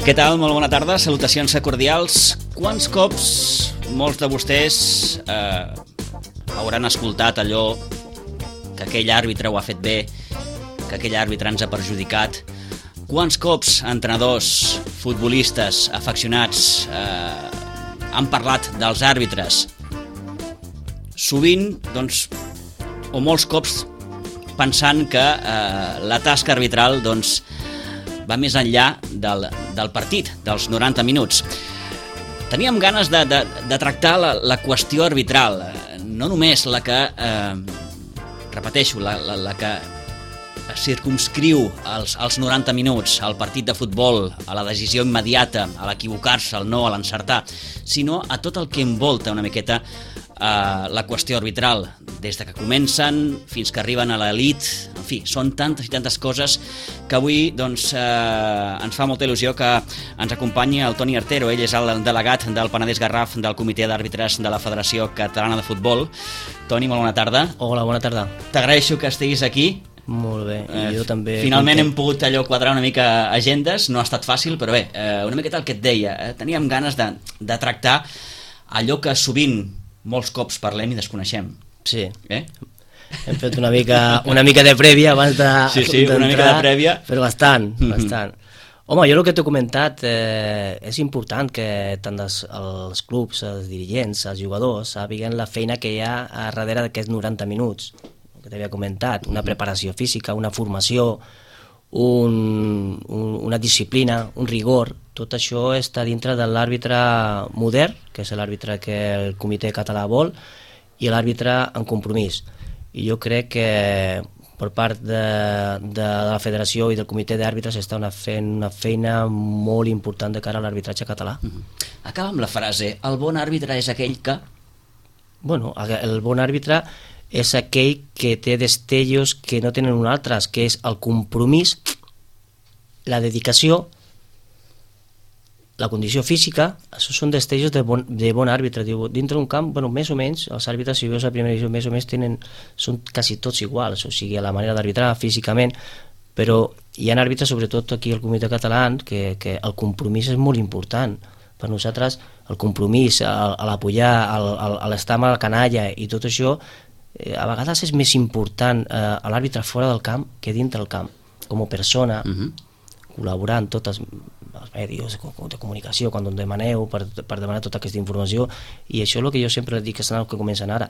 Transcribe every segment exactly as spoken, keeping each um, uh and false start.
Què tal? Molt bona tarda, salutacions cordials. Quants cops molts de vostès eh, hauran escoltat allò que aquell àrbitre ho ha fet bé, que aquell àrbitre ens ha perjudicat? Quants cops entrenadors, futbolistes, afeccionats eh, han parlat dels àrbitres? Sovint, doncs, o molts cops pensant que eh, la tasca arbitral doncs, va més enllà del, del partit, dels noranta minuts. Teníem ganes de, de, de tractar la, la qüestió arbitral, no només la que, eh, repeteixo, la, la, la que circumscriu els, els noranta minuts, al partit de futbol, a la decisió immediata, a l'equivocar-se, al no, a l'encertar, sinó a tot el que envolta una miqueta eh, la qüestió arbitral, des de que comencen fins que arriben a l'elit. En fi, són tantes i tantes coses que avui doncs, eh, ens fa molta il·lusió que ens acompanyi el Toni Artero. Ell és el delegat del Penedès Garraf del Comitè d'Àrbitres de la Federació Catalana de Futbol. Toni, molt bona tarda. Hola, bona tarda. T'agraeixo que estiguis aquí. Molt bé, i jo eh, també... Finalment content. Hem pogut allò quadrar una mica agendes, no ha estat fàcil, però bé, eh, una miqueta el que et deia, eh, teníem ganes de, de tractar allò que sovint molts cops parlem i desconeixem. Sí. Eh? Hem fet una mica, una mica de prèvia abans de sí, sí, una mica de prèvia. Però bastant, bastant. Mm-hmm. Home, jo el que t'he comentat, eh, és important que tant els, els clubs, els dirigents, els jugadors, sàpiguen la feina que hi ha a darrere d'aquests noranta minuts, que t'havia comentat, una preparació física, una formació, un, un, una disciplina, un rigor. Tot això està dintre de l'àrbitre modern, que és l'àrbitre que el Comitè Català vol, i l'àrbitre en compromís. I jo crec que per part de, de, de la Federació i del Comitè d'Àrbitres està una fent una feina molt important de cara a l'arbitratge català. Mm-hmm. Acaba amb la frase, el bon àrbitre és aquell que... Bueno, el bon àrbitre és aquell que té destellos que no tenen un altres, que és el compromís, la dedicació, la condició física. Això són destellos de bon, de bon àrbitre. Diu, dintre d'un camp, bueno, més o menys, els àrbitres, si veus la primera divisió, més o menys tenen, són quasi tots iguals, o sigui, a la manera d'arbitrar físicament, però hi ha àrbitres, sobretot aquí al Comitè Català, que, que el compromís és molt important. Per nosaltres, el compromís, l'apoyar, l'estar amb la canalla i tot això, eh, a vegades és més important eh, a l'àrbitre fora del camp que dintre del camp, com a persona, uh-huh. col·laborant tots els, els medis de comunicació quan em demaneu per, per demanar tota aquesta informació, i això és el que jo sempre dic que són els que comencen ara.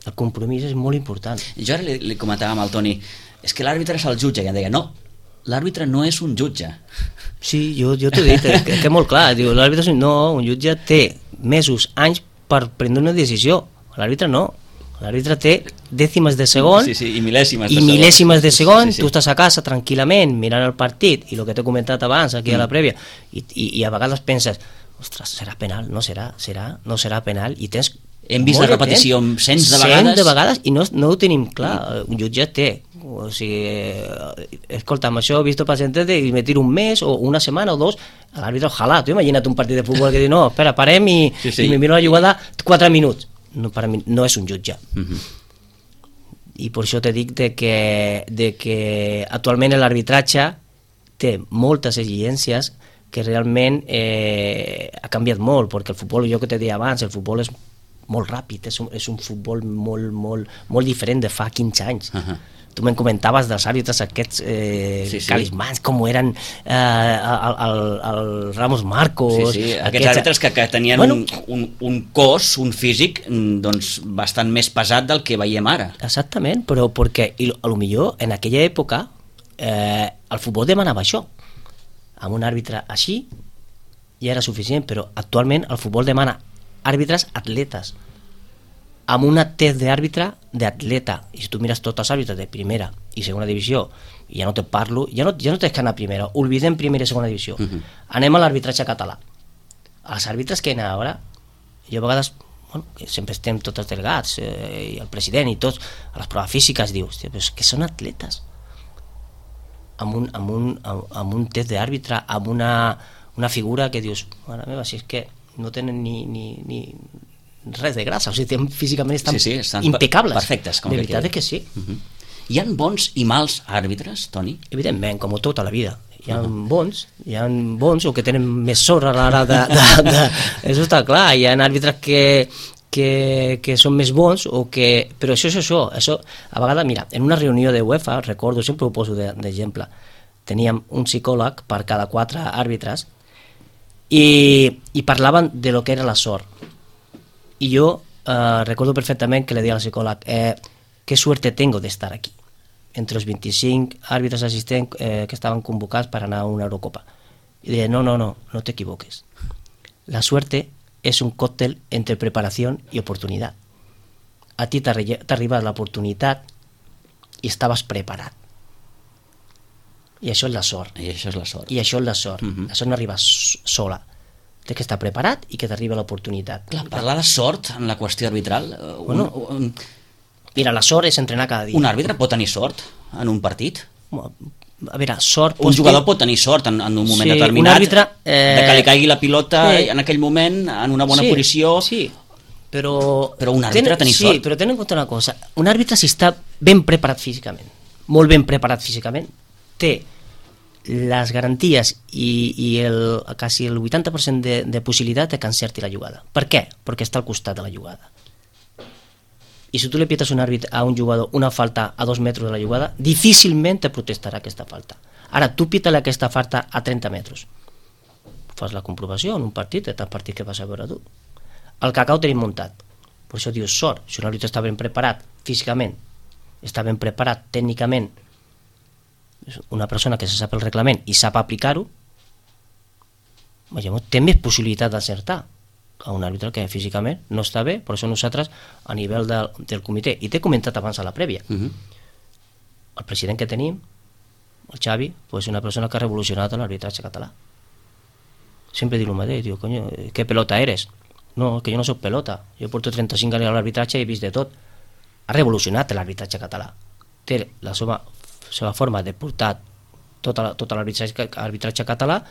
El compromís és molt important. Jo ara li, li comentava amb el Toni, és que l'àrbitre és el jutge, i em deia, no, l'àrbitre no és un jutge. Sí, jo, jo t'ho he dit, que, que és molt clar, diu, l'àrbitre és un... no, un jutge té mesos, anys per prendre una decisió, l'àrbitre no. L'àrbitre té dècimes de segon sí, sí, i mil·lèsimes de i segon, mil·lèsimes de segon. Sí, sí. Tu estàs a casa tranquil·lament mirant el partit i el que t'he comentat abans aquí mm. a la prèvia i, i, i a vegades penses, ostres, serà penal, no serà, serà, no serà penal, i tens... Hem vist la repetició cents de vegades. Cent de vegades i no, no ho tenim clar. Un jutge té, o sigui, escolta, amb això he vist pacientes de me tiro un mes o una setmana o dos, l'àrbitre, ojalà, tu imagina't un partit de futbol que diu, no, espera, parem i, sí, sí. i me miro la jugada quatre minuts. No, per a mi no és un jutge. Uh-huh. I per això te dic de que, de que actualment l'arbitratge té moltes exigències que realment eh, ha canviat molt, perquè el futbol, jo que te deia abans, el futbol és molt ràpid, és un, és un futbol molt, molt, molt diferent de fa quinze anys. Uh-huh. Tu me'n comentaves dels àrbitres aquests eh, sí, sí. carismans, com eren eh, el, el, el Ramos Marcos... Sí, sí, aquests, aquests àrbitres que, que tenien bueno, un, un, un cos, un físic doncs, bastant més pesat del que veiem ara. Exactament, però perquè i, a lo millor en aquella època eh, el futbol demanava això. Amb un àrbitre així ja era suficient, però actualment el futbol demana àrbitres atletes, amb una test d'àrbitre d'atleta. I si tu mires tots els àrbitres de primera i segona divisió, i ja no te parlo, ja no, ja no tens que anar a primera, oblidem primera i segona divisió. Uh-huh. Anem a l'arbitratge català. Els àrbitres que hi ha ara, jo a vegades, bueno, sempre estem tots els delegats, eh, i el president i tots, a les proves físiques, dius, hòstia, però és que són atletes. Amb un, amb un, amb un test d'àrbitre, amb una, una figura que dius, mare meva, si és que no tenen ni... ni, ni res de grasa, o sigui, físicament estan, sí, sí, estan impecables. Perfectes, com de veritat que sí. Uh-huh. Hi ha bons i mals àrbitres, Toni? Evidentment, com tota la vida. hi ha uh-huh. bons, hi ha bons o que tenen més sort a l'hora de, de, de... Això està clar, hi ha àrbitres que, que, que són més bons, o que... però això és això, això, a vegades, mira, en una reunió de UEFA, recordo, sempre ho poso d'exemple, teníem un psicòleg per cada quatre àrbitres i, i parlaven de lo que era la sort. I jo eh, recordo perfectament que le deia al psicòleg, eh, qué suerte tengo de estar aquí, entre los veinticinc àrbitres assistents eh, que estaven convocats per anar a una Eurocopa. Y deia, no, no, no, no te equivoques. La suerte es un cóctel entre preparación y oportunidad. A ti t'ha arribat l'oportunitat i estaves preparat. I això és la sort. I això és la sort. I això és la sort. Uh-huh. La sort no arriba sola. Té que estar preparat i que t'arriba l'oportunitat. Clar, parlar de sort en la qüestió arbitral... Bueno, un, un, mira, la sort és entrenar cada dia. Un àrbitre pot tenir sort en un partit? A veure, sort... Un jugador pot tenir sort en, en un moment sí, determinat, un àrbitre, eh... de que li caigui la pilota sí. en aquell moment, en una bona sí, posició... Sí, però... Però un àrbitre ten... tenir sí, sort... Sí, però ten en compte una cosa. Un àrbitre, si està ben preparat físicament, molt ben preparat físicament, té les garanties i, i el, quasi el vuitanta per cent de, de possibilitat de que encerti la jugada. Per què? Perquè està al costat de la jugada. I si tu li pietes un àrbit a un jugador una falta a dos metres de la jugada, difícilment te protestarà aquesta falta. Ara, tu pita-li aquesta falta a trenta metres. Fas la comprovació en un partit, de tant partit que vas a veure tu. El cacau tenim muntat. Per això dius sort. Si un àrbit està ben preparat físicament, està ben preparat tècnicament, una persona que se sap el reglament i sap aplicar-ho, té més possibilitat d'acertar a un àrbitre que físicament no està bé. Per això nosaltres, a nivell del, del comitè, i t'he comentat abans a la prèvia, uh-huh. el president que tenim, el Xavi, pues, és una persona que ha revolucionat l'arbitratge català. Sempre diu el mateix, diu, coño, ¿qué pelota eres? No, que jo no soc pelota, jo porto trenta-cinc anys a l'arbitratge i he vist de tot. Ha revolucionat l'arbitratge català. Té la seva, seva forma de portar tot, tot l'arbitratge arbitratge català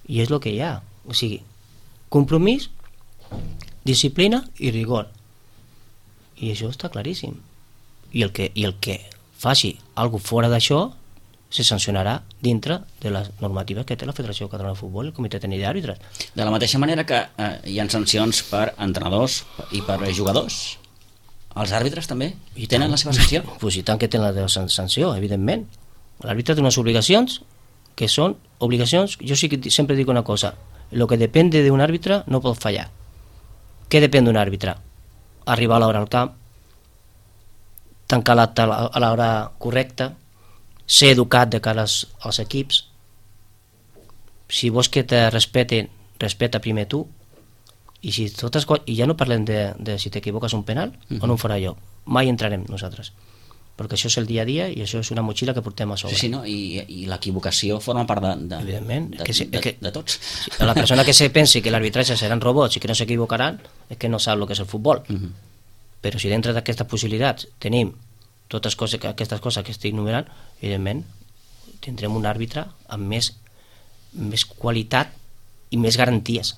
i és el que hi ha. O sigui, compromís, disciplina i rigor. I això està claríssim. I el que, i el que faci alguna cosa fora d'això se sancionarà dintre de les normatives que té la Federació Catalana de Futbol i el Comitè Tècnic d'Àrbitres. De la mateixa manera que eh, hi ha sancions per entrenadors i per jugadors, els àrbitres també I tenen tant. La seva sanció? Pues i tant que tenen la seva sanció, evidentment. L'àrbitre té unes obligacions que són obligacions, jo sí que sempre dic una cosa, lo que depende de un àrbitre no pot fallar. Què depèn d'un àrbitre? Arribar a l'hora al camp, tancar l'acte a l'hora correcta, ser educat de cara als, als equips. Si vols que te respeten, respeta primer tu. I si totes coses, i ja no parlem de, de si t'equivoques un penal uh-huh. o no un farà jo, mai entrarem nosaltres, perquè això és el dia a dia i això és una motxilla que portem a sobre. Sí, sí, no? I, i l'equivocació forma part de, de, Evidentment, de, que se, de, que, de tots. La persona que se pensi que l'arbitratge seran robots i que no s'equivocaran és que no sap el que és el futbol. Uh-huh. Però si dintre d'aquestes possibilitats tenim totes coses, aquestes coses que estic enumerant, evidentment tindrem un àrbitre amb més, més qualitat i més garanties.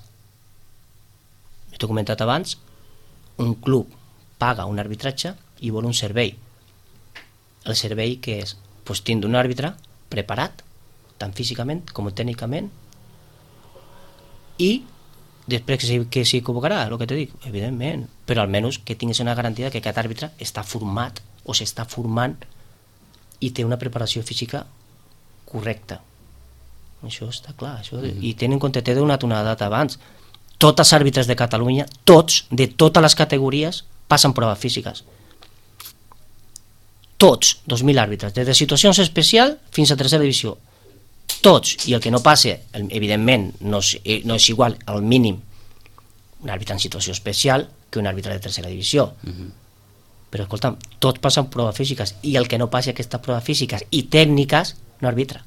T'he comentat abans, un club paga un arbitratge i vol un servei. El servei que és pues, tindre un àrbitre preparat, tant físicament com tècnicament, i després que s'equivocarà, el que t'he dit, evidentment, però almenys que tinguis una garantia que aquest àrbitre està format o s'està formant i té una preparació física correcta. Això està clar. Això, mm-hmm. I ten en compte, t'he donat una data abans, tots els àrbitres de Catalunya, tots, de totes les categories, passen proves físiques. Tots, dos mil àrbitres, des de situacions especials fins a tercera divisió. Tots, i el que no passe, evidentment, no és, no és igual al mínim un àrbitre en situació especial que un àrbitre de tercera divisió. Mm-hmm. Però, escolta'm, tots passen proves físiques i el que no passi aquestes proves físiques i tècniques no arbitra.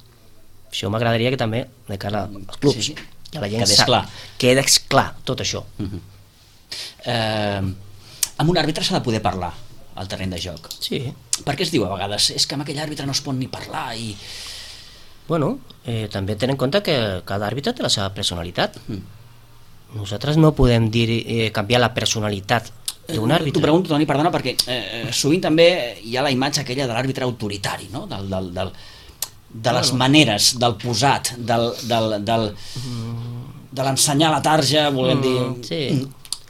Això m'agradaria que també, de cara als clubs, sí, sí. que la gent quedés sap, clar. quedés clar tot això. Uh-huh. eh, amb un àrbitre s'ha de poder parlar al terreny de joc. Sí. Per què es diu a vegades? És que amb aquell àrbitre no es pot ni parlar i... Bueno, eh, també ten en compte que cada àrbitre té la seva personalitat. Uh-huh. Nosaltres no podem dir eh, canviar la personalitat d'un àrbitre. T'ho pregunto, Toni, perdona, perquè eh, sovint també hi ha la imatge aquella de l'àrbitre autoritari, no? Del, del, del, de les maneres, del posat, del, del, del, de l'ensenyar la tarja, volem dir... Sí.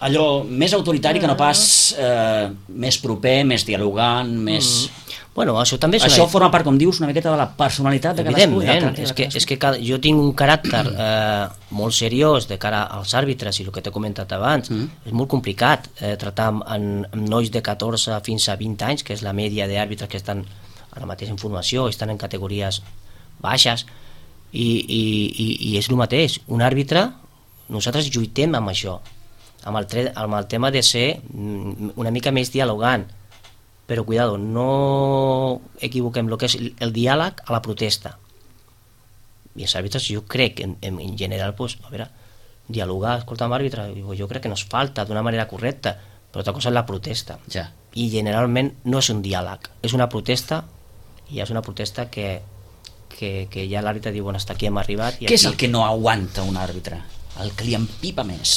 Allò més autoritari que no pas eh, més proper, més dialogant, més... Mm. Bueno, això també és Això una... forma part, com dius, una miqueta de la personalitat de cadascú. Evidentment, és que, és que cada... jo tinc un caràcter eh, molt seriós de cara als àrbitres, i el que t'he comentat abans, mm. és molt complicat eh, tractar amb, amb nois de catorze fins a vint anys, que és la mèdia d'àrbitres que estan ara mateix en formació, estan en categories baixes, i, i, i, i és el mateix. Un àrbitre, nosaltres lluitem amb això, amb el, tre... amb el tema de ser una mica més dialogant, però cuidado, no equivoquem el que és el diàleg a la protesta. I els àrbitres, jo crec, en, en general, pues, a veure, dialogar, escolta, amb àrbitre, jo crec que no es falta d'una manera correcta, però altra cosa és la protesta. Ja. I generalment no és un diàleg, és una protesta, i és una protesta que, que, que ja l'àrbitre diu, bueno, hasta aquí hem arribat. I Què aquí... és el que no aguanta un àrbitre? El que li empipa més?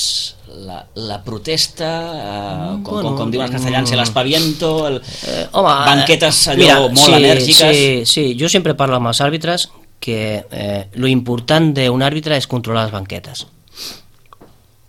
La, la protesta, eh, com, bueno, com, com diuen els castellans, el aspaviento, el... Eh, home, banquetes allò mira, molt sí, enèrgiques... Sí, sí, jo sempre parlo amb els àrbitres que eh, lo important d'un àrbitre és controlar les banquetes.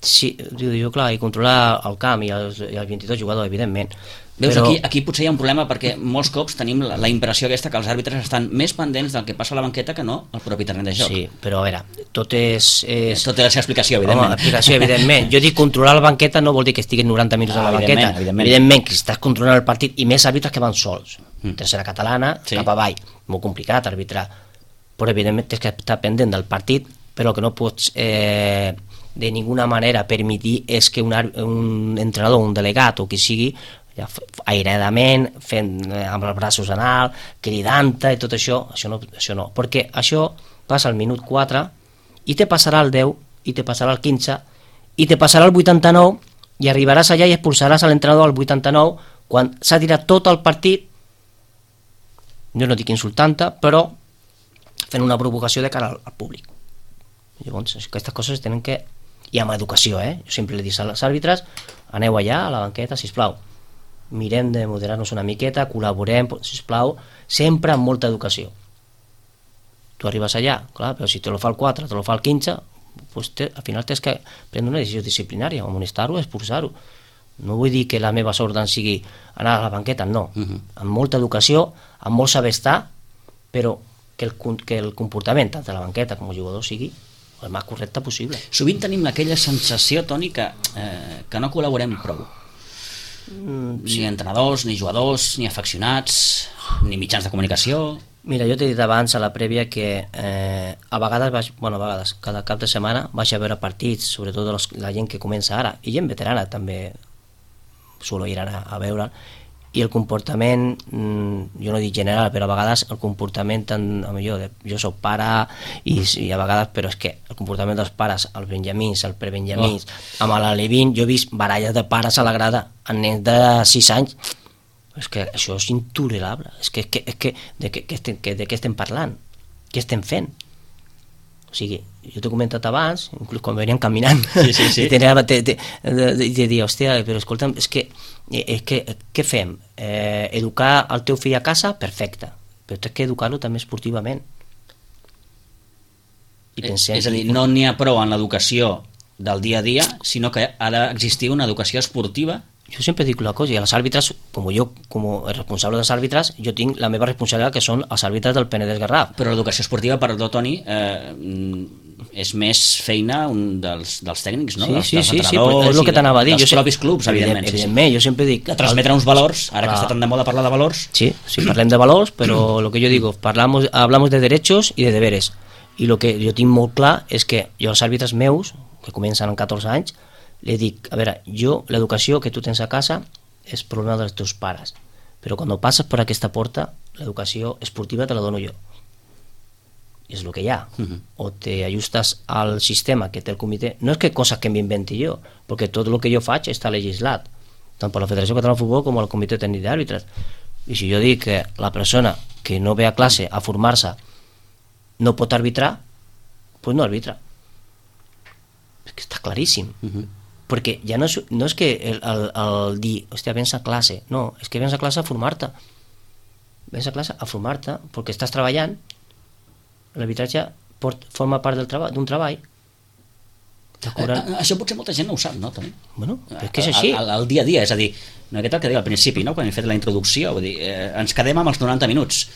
Sí, diu, jo, clar, i controlar el camp i els, i els vint-i-dos jugadors, evidentment. Veus, però... aquí, aquí potser hi ha un problema perquè molts cops tenim la, la impressió aquesta que els àrbitres estan més pendents del que passa a la banqueta que no al propi terreny de joc. Sí, però a veure, tot és... és... Tot té la seva explicació, evidentment. Home, explicació, evidentment. Jo dic controlar la banqueta no vol dir que estiguin noranta minuts ah, a la banqueta. Evidentment. evidentment que estàs controlant el partit, i més àrbitres que van sols. Mm. Tercera catalana, sí. Cap avall. Molt complicat arbitrar. Però evidentment tens que estar pendent del partit, però que no pots eh, de ninguna manera permetir és que un, un entrenador, un delegat o qui sigui, ja, airadament, fent eh, amb els braços en alt, cridant-te i tot això, això no, això no, perquè això passa al minut quatre i te passarà al deu, i te passarà al quinze, i te passarà al vuitanta-nou, i arribaràs allà i expulsaràs a l'entrenador al vuitanta-nou, quan s'ha tirat tot el partit, jo no dic insultant-te, però fent una provocació de cara al, al públic. Llavors, aquestes coses tenen que... I amb educació, eh? Jo sempre li dic als àrbitres, aneu allà a la banqueta, sisplau, mirem de moderar-nos una miqueta, col·laborem, sisplau, sempre amb molta educació. Tu arribes allà, clar, però si te lo fa el quatre, te lo fa el quinze, pues te, al final tens que prendre una decisió disciplinària, amonestar-ho, expulsar-ho. No vull dir que les meves ordres sigui anar a la banqueta, no. Uh-huh. Amb molta educació, amb molt saber estar, però que el, que el comportament tant de la banqueta com el jugador sigui el més correcte possible. Sovint tenim aquella sensació, Toni, que, eh, que no col·laborem prou. Mm, sí. Ni entrenadors, ni jugadors, ni afeccionats, ni mitjans de comunicació. Mira, jo t'he dit abans a la prèvia que eh, a vegades, vaig, bueno, a vegades, cada cap de setmana vaig a veure partits, sobretot los, la gent que comença ara, i gent veterana també suelo ir a, a veure, i el comportament, jo no dic general, però a vegades el comportament, tant, jo, jo soc pare i, i a vegades, però és que el comportament dels pares, els benjamins, els prebenjamins, oh. amb l'Alevín, jo he vist baralles de pares a la grada amb nens de sis anys, és que això és intolerable, és que, és que, és que de, que, que estem, que, de què estem parlant, què estem fent? O sigui, jo t'he comentat abans, inclús quan veníem caminant, sí, sí, sí. i tenia de, de, de, de, de dir, hòstia, però escolta'm, és que, és que què fem? Eh, educar el teu fill a casa? Perfecte, però tens que educar-lo també esportivament. I pensem, és a dir, no n'hi ha prou en l'educació del dia a dia, sinó que ha d'existir una educació esportiva. Jo sempre dic una cosa, i els àrbitres, com jo, com a responsable dels àrbitres, jo tinc la meva responsabilitat, que són els àrbitres del Penedès Garraf. Però l'educació esportiva, perdó, Toni, eh, és més feina un dels, dels tècnics, no? Sí, dels, sí, dels sí, sí, però és el que t'anava a dir. Dels jo propis clubs, evidentment. Evidentment, sí, sí. Jo sempre dic... De transmetre uns valors, ara que està tan de moda parlar de valors. Sí, sí, parlem de valors, però lo que yo digo, parlaamos, hablamos de derechos y de deberes. I el que jo tinc molt clar és que jo als àrbitres meus, que comencen amb catorze anys, li dic, a veure, jo, l'educació que tu tens a casa és problema dels teus pares, però quan passes per aquesta porta, l'educació esportiva te la dono jo. I és el que hi ha. Uh-huh. O te ajustes al sistema que té el comitè. No és que coses que m'inventi jo, perquè tot el que jo faig està legislat, tant per la Federació Catalana de Futbol com el Comitè Tècnic d'Àrbitres. I si jo dic que la persona que no ve a classe a formar-se no pot arbitrar, doncs no arbitra. És que està claríssim. Uh-huh. Perquè ja no és, no és que el, el, el dir, hòstia, vens a classe, no, és que vens a classe a formar-te, vens a classe a formar-te perquè estàs treballant L'arbitratge forma part del treball, d'un treball. Eh, això potser molta gent no ho sap, no? També. Bueno, és que és així. Al, al dia a dia, és a dir, no aquest el que deia al principi, no? Quan hem fet la introducció, vull dir, eh, ens quedem amb els noranta minuts.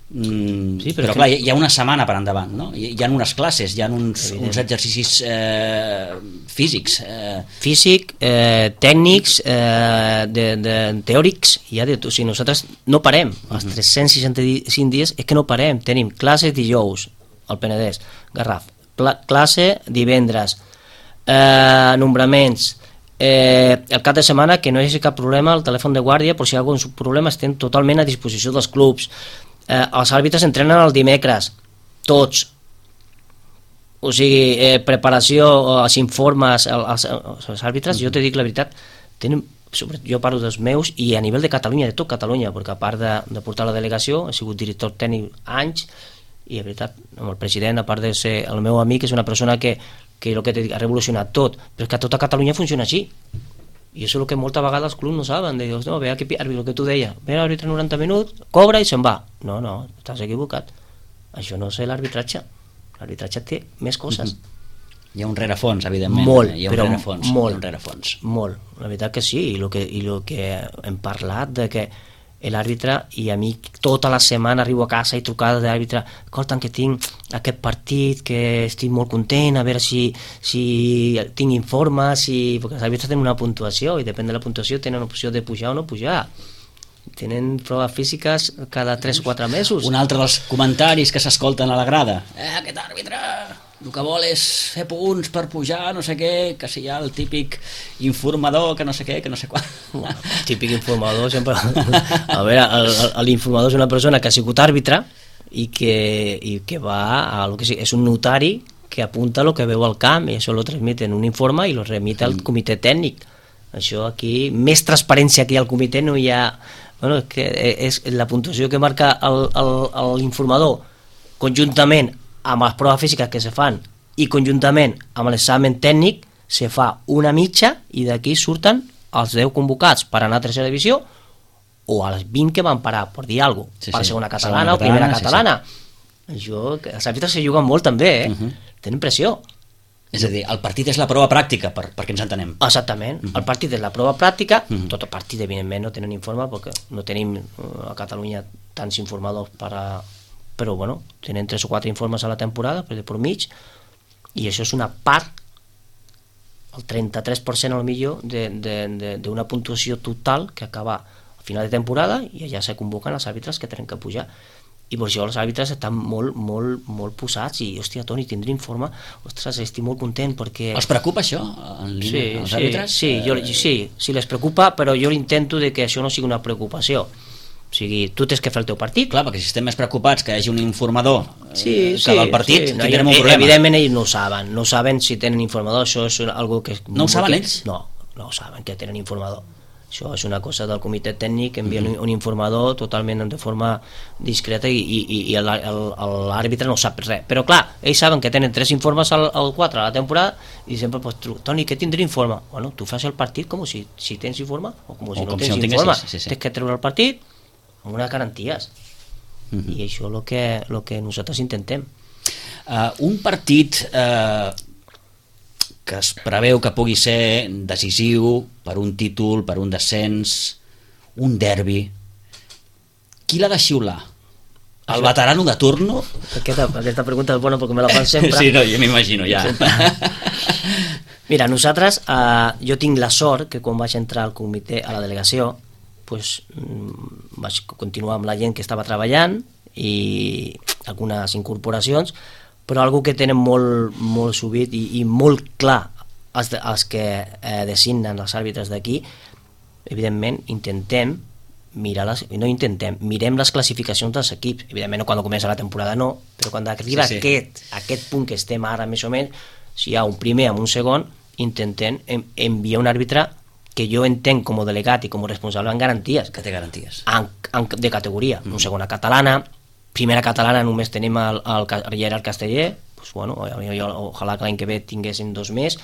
Mm, sí, però, però clar, hi ha una setmana per endavant, no? Hi, hi ha unes classes, hi ha uns, uns exercicis eh, físics eh. físic, eh, tècnics eh, de, de, teòrics, hi ha de tot. O sigui, nosaltres no parem els tres-cents seixanta-cinc dies, és que no parem. Tenim classes dijous al Penedès, Garraf, Pla, classe divendres, eh, nombraments, eh, el cap de setmana, que no hi hagi cap problema, el telèfon de guàrdia, per si hi ha algun problema estem totalment a disposició dels clubs. Eh, els àrbitres entrenen el dimecres, tots. O sigui, eh, preparació, els informes, els, els, els àrbitres, jo te dic la veritat, tenen, jo parlo dels meus i a nivell de Catalunya, de tot Catalunya, perquè a part de, de portar la delegació, he sigut director tècnic anys, i la veritat, amb el president, a part de ser el meu amic, és una persona que, que, que te dic, ha revolucionat tot, però és que a tota Catalunya funciona així. I això és el que moltes vegades els clubs no saben, de dir, no, ve aquí, el que tu deies, ve l'àrbitre noranta minuts, cobra i se'n va. No, no, estàs equivocat. Això no és l'arbitratge. L'arbitratge té més coses. Hi ha un rerefons, evidentment. Molt, hi ha un però rerefons, molt, hi ha un rerefons. molt. La veritat que sí, i el que, i lo que hem parlat de que l'àrbitre, i a mi tota la setmana arribo a casa i trucades de l'àrbitre, escolta'm que tinc aquest partit, que estic molt content, a veure si, si tinc informes, si... perquè els àrbitres tenen una puntuació i depèn de la puntuació tenen opció de pujar o no pujar. Tenen proves físiques cada tres o quatre mesos. Un altre dels comentaris que s'escolten a la grada. Eh, aquest àrbitre el que vol és fer punts per pujar, no sé què, que si hi ha el típic informador, que no sé què, que no sé quan. Bueno, el típic informador sempre... A veure, l'informador és una persona que ha sigut àrbitre i que, i que va a lo que sigui, és un notari que apunta el que veu al camp i això lo transmite en un informe i lo remite al comitè tècnic. Això aquí, més transparència que hi ha al comitè no hi ha... Bueno, és que és la puntuació que marca l'informador conjuntament amb les proves físiques que se fan i conjuntament amb l'examen tècnic se fa una mitja i d'aquí surten els deu convocats per anar a tercera divisió o als vint que van parar, per dir alguna cosa, sí, per sí. segona catalana segona o primera catalana. Sí, sí. Això, els àrbitres se juguen molt també, eh? Uh -huh. Tenen pressió. És a dir, el partit és la prova pràctica, per, perquè ens entenem. Exactament, uh -huh. el partit és la prova pràctica, uh -huh. tot el partit evidentment no tenen informe perquè no tenim a Catalunya tants informadors per a... però bueno, tenen tres o quatre informes a la temporada per, per mig, i això és una part, el trenta-tres per cent al millor d'una puntuació total que acaba al final de temporada i allà se convoquen els àrbitres que tenen que pujar. I per això els àrbitres estan molt, molt, molt posats i, hòstia, Toni, tindré informe, ostres, estic molt content perquè... Els preocupa això, en línia, sí, els sí, àrbitres? Sí, jo, sí, sí, les preocupa, però jo intento de que això no sigui una preocupació. O sigui, tu tens que fer el teu partit. Clar, perquè si estem més preocupats que hi hagi un informador sí, eh, sí, que del partit, sí, no, tindrem un problema. Evidentment ells no ho saben, no ho saben si tenen informador, això és algo que... No ho saben ells? No, no ho saben que tenen informador. Això és una cosa del comitè tècnic, envien mm-hmm. un informador totalment de forma discreta i, i, i l'àrbitre no sap res. Però clar, ells saben que tenen tres informes al, al quatre a la temporada i sempre pues, Toni, què tindré informe? Bueno, tu fas el partit com si, si tens informe o com si o no com tens si no informe. Sí, sí, sí. Tens que treure el partit amb unes garanties. Uh-huh. I això és el que, el que nosaltres intentem. Uh, un partit uh, que es preveu que pugui ser decisiu per un títol, per un descens, un derbi, qui l'ha de xiular? El veterano de turno? Aquesta, aquesta pregunta és bona perquè me la fan sempre. Sí, no, jo m'imagino ja. Mira, nosaltres, uh, jo tinc la sort que quan vaig entrar al comitè, a la delegació, pues, vaig continuar amb la gent que estava treballant i algunes incorporacions, però algo que tenen molt, molt subit i, i molt clar els, els que eh, designen els àrbitres d'aquí, evidentment intentem mirar les, no intentem, mirem les classificacions dels equips, evidentment no quan comença la temporada no, però quan arriba sí, sí. Aquest, aquest punt que estem ara més o menys, si hi ha un primer amb un segon, intentem enviar un àrbitre que jo entenc com a delegat i com a responsable en garanties. Que té garanties. En, en, de categoria. Mm. Un segona catalana, primera catalana només tenim el, el, el Gerard Casteller, pues bueno, ojalà que l'any que ve tinguessin dos més,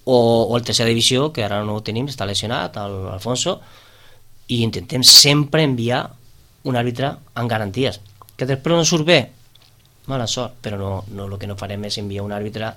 o, o el tercera divisió, que ara no ho tenim, està lesionat, l'Alfonso, i intentem sempre enviar un àrbitre en garanties. Que després no surt bé, mala sort, però no, no, el que no farem és enviar un àrbitre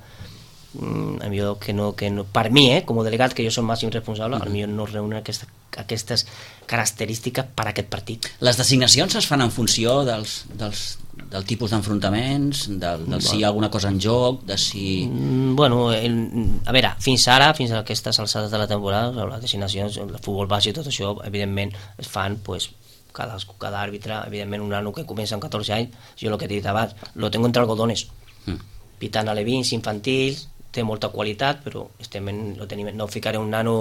mm, millor que no, que no, per mi, eh, com a delegat, que jo soc màxim responsable, uh-huh. millor no reúnen aquesta, aquestes característiques per a aquest partit. Les designacions es fan en funció dels, dels, del tipus d'enfrontaments, del, del si hi ha alguna cosa en joc, de si... Mm, bueno, el, a veure, fins ara, fins a aquestes alçades de la temporada, les designacions, el futbol base i tot això, evidentment, es fan, pues, cada, cada àrbitre, evidentment, un nano que comença amb catorze anys, jo el que he dit abans, lo tengo entre algodones, mm. pitant alevins, infantils, té molta qualitat, però estem en, lo tenim, no ficaré un nano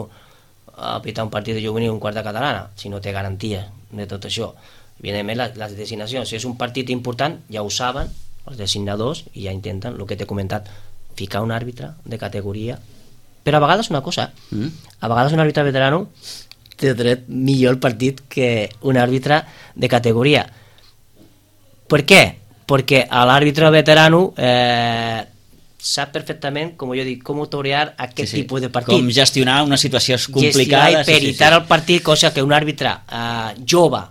a pitar un partit de juvenil un quart de catalana, si no té garantia de tot això. Evidentment, les, les designacions, si és un partit important, ja ho saben, els designadors, i ja intenten, el que t'he comentat, ficar un àrbitre de categoria. Però a vegades una cosa, mm. a vegades un àrbitre veterano té dret millor el partit que un àrbitre de categoria. Per què? Perquè l'àrbitre veterano eh, sap perfectament, com jo dic, com torear aquest sí, sí. tipus de partit. Com gestionar una situació complicada. Gestionar i peritar sí, sí, sí. el partit, cosa que un àrbitre eh, jove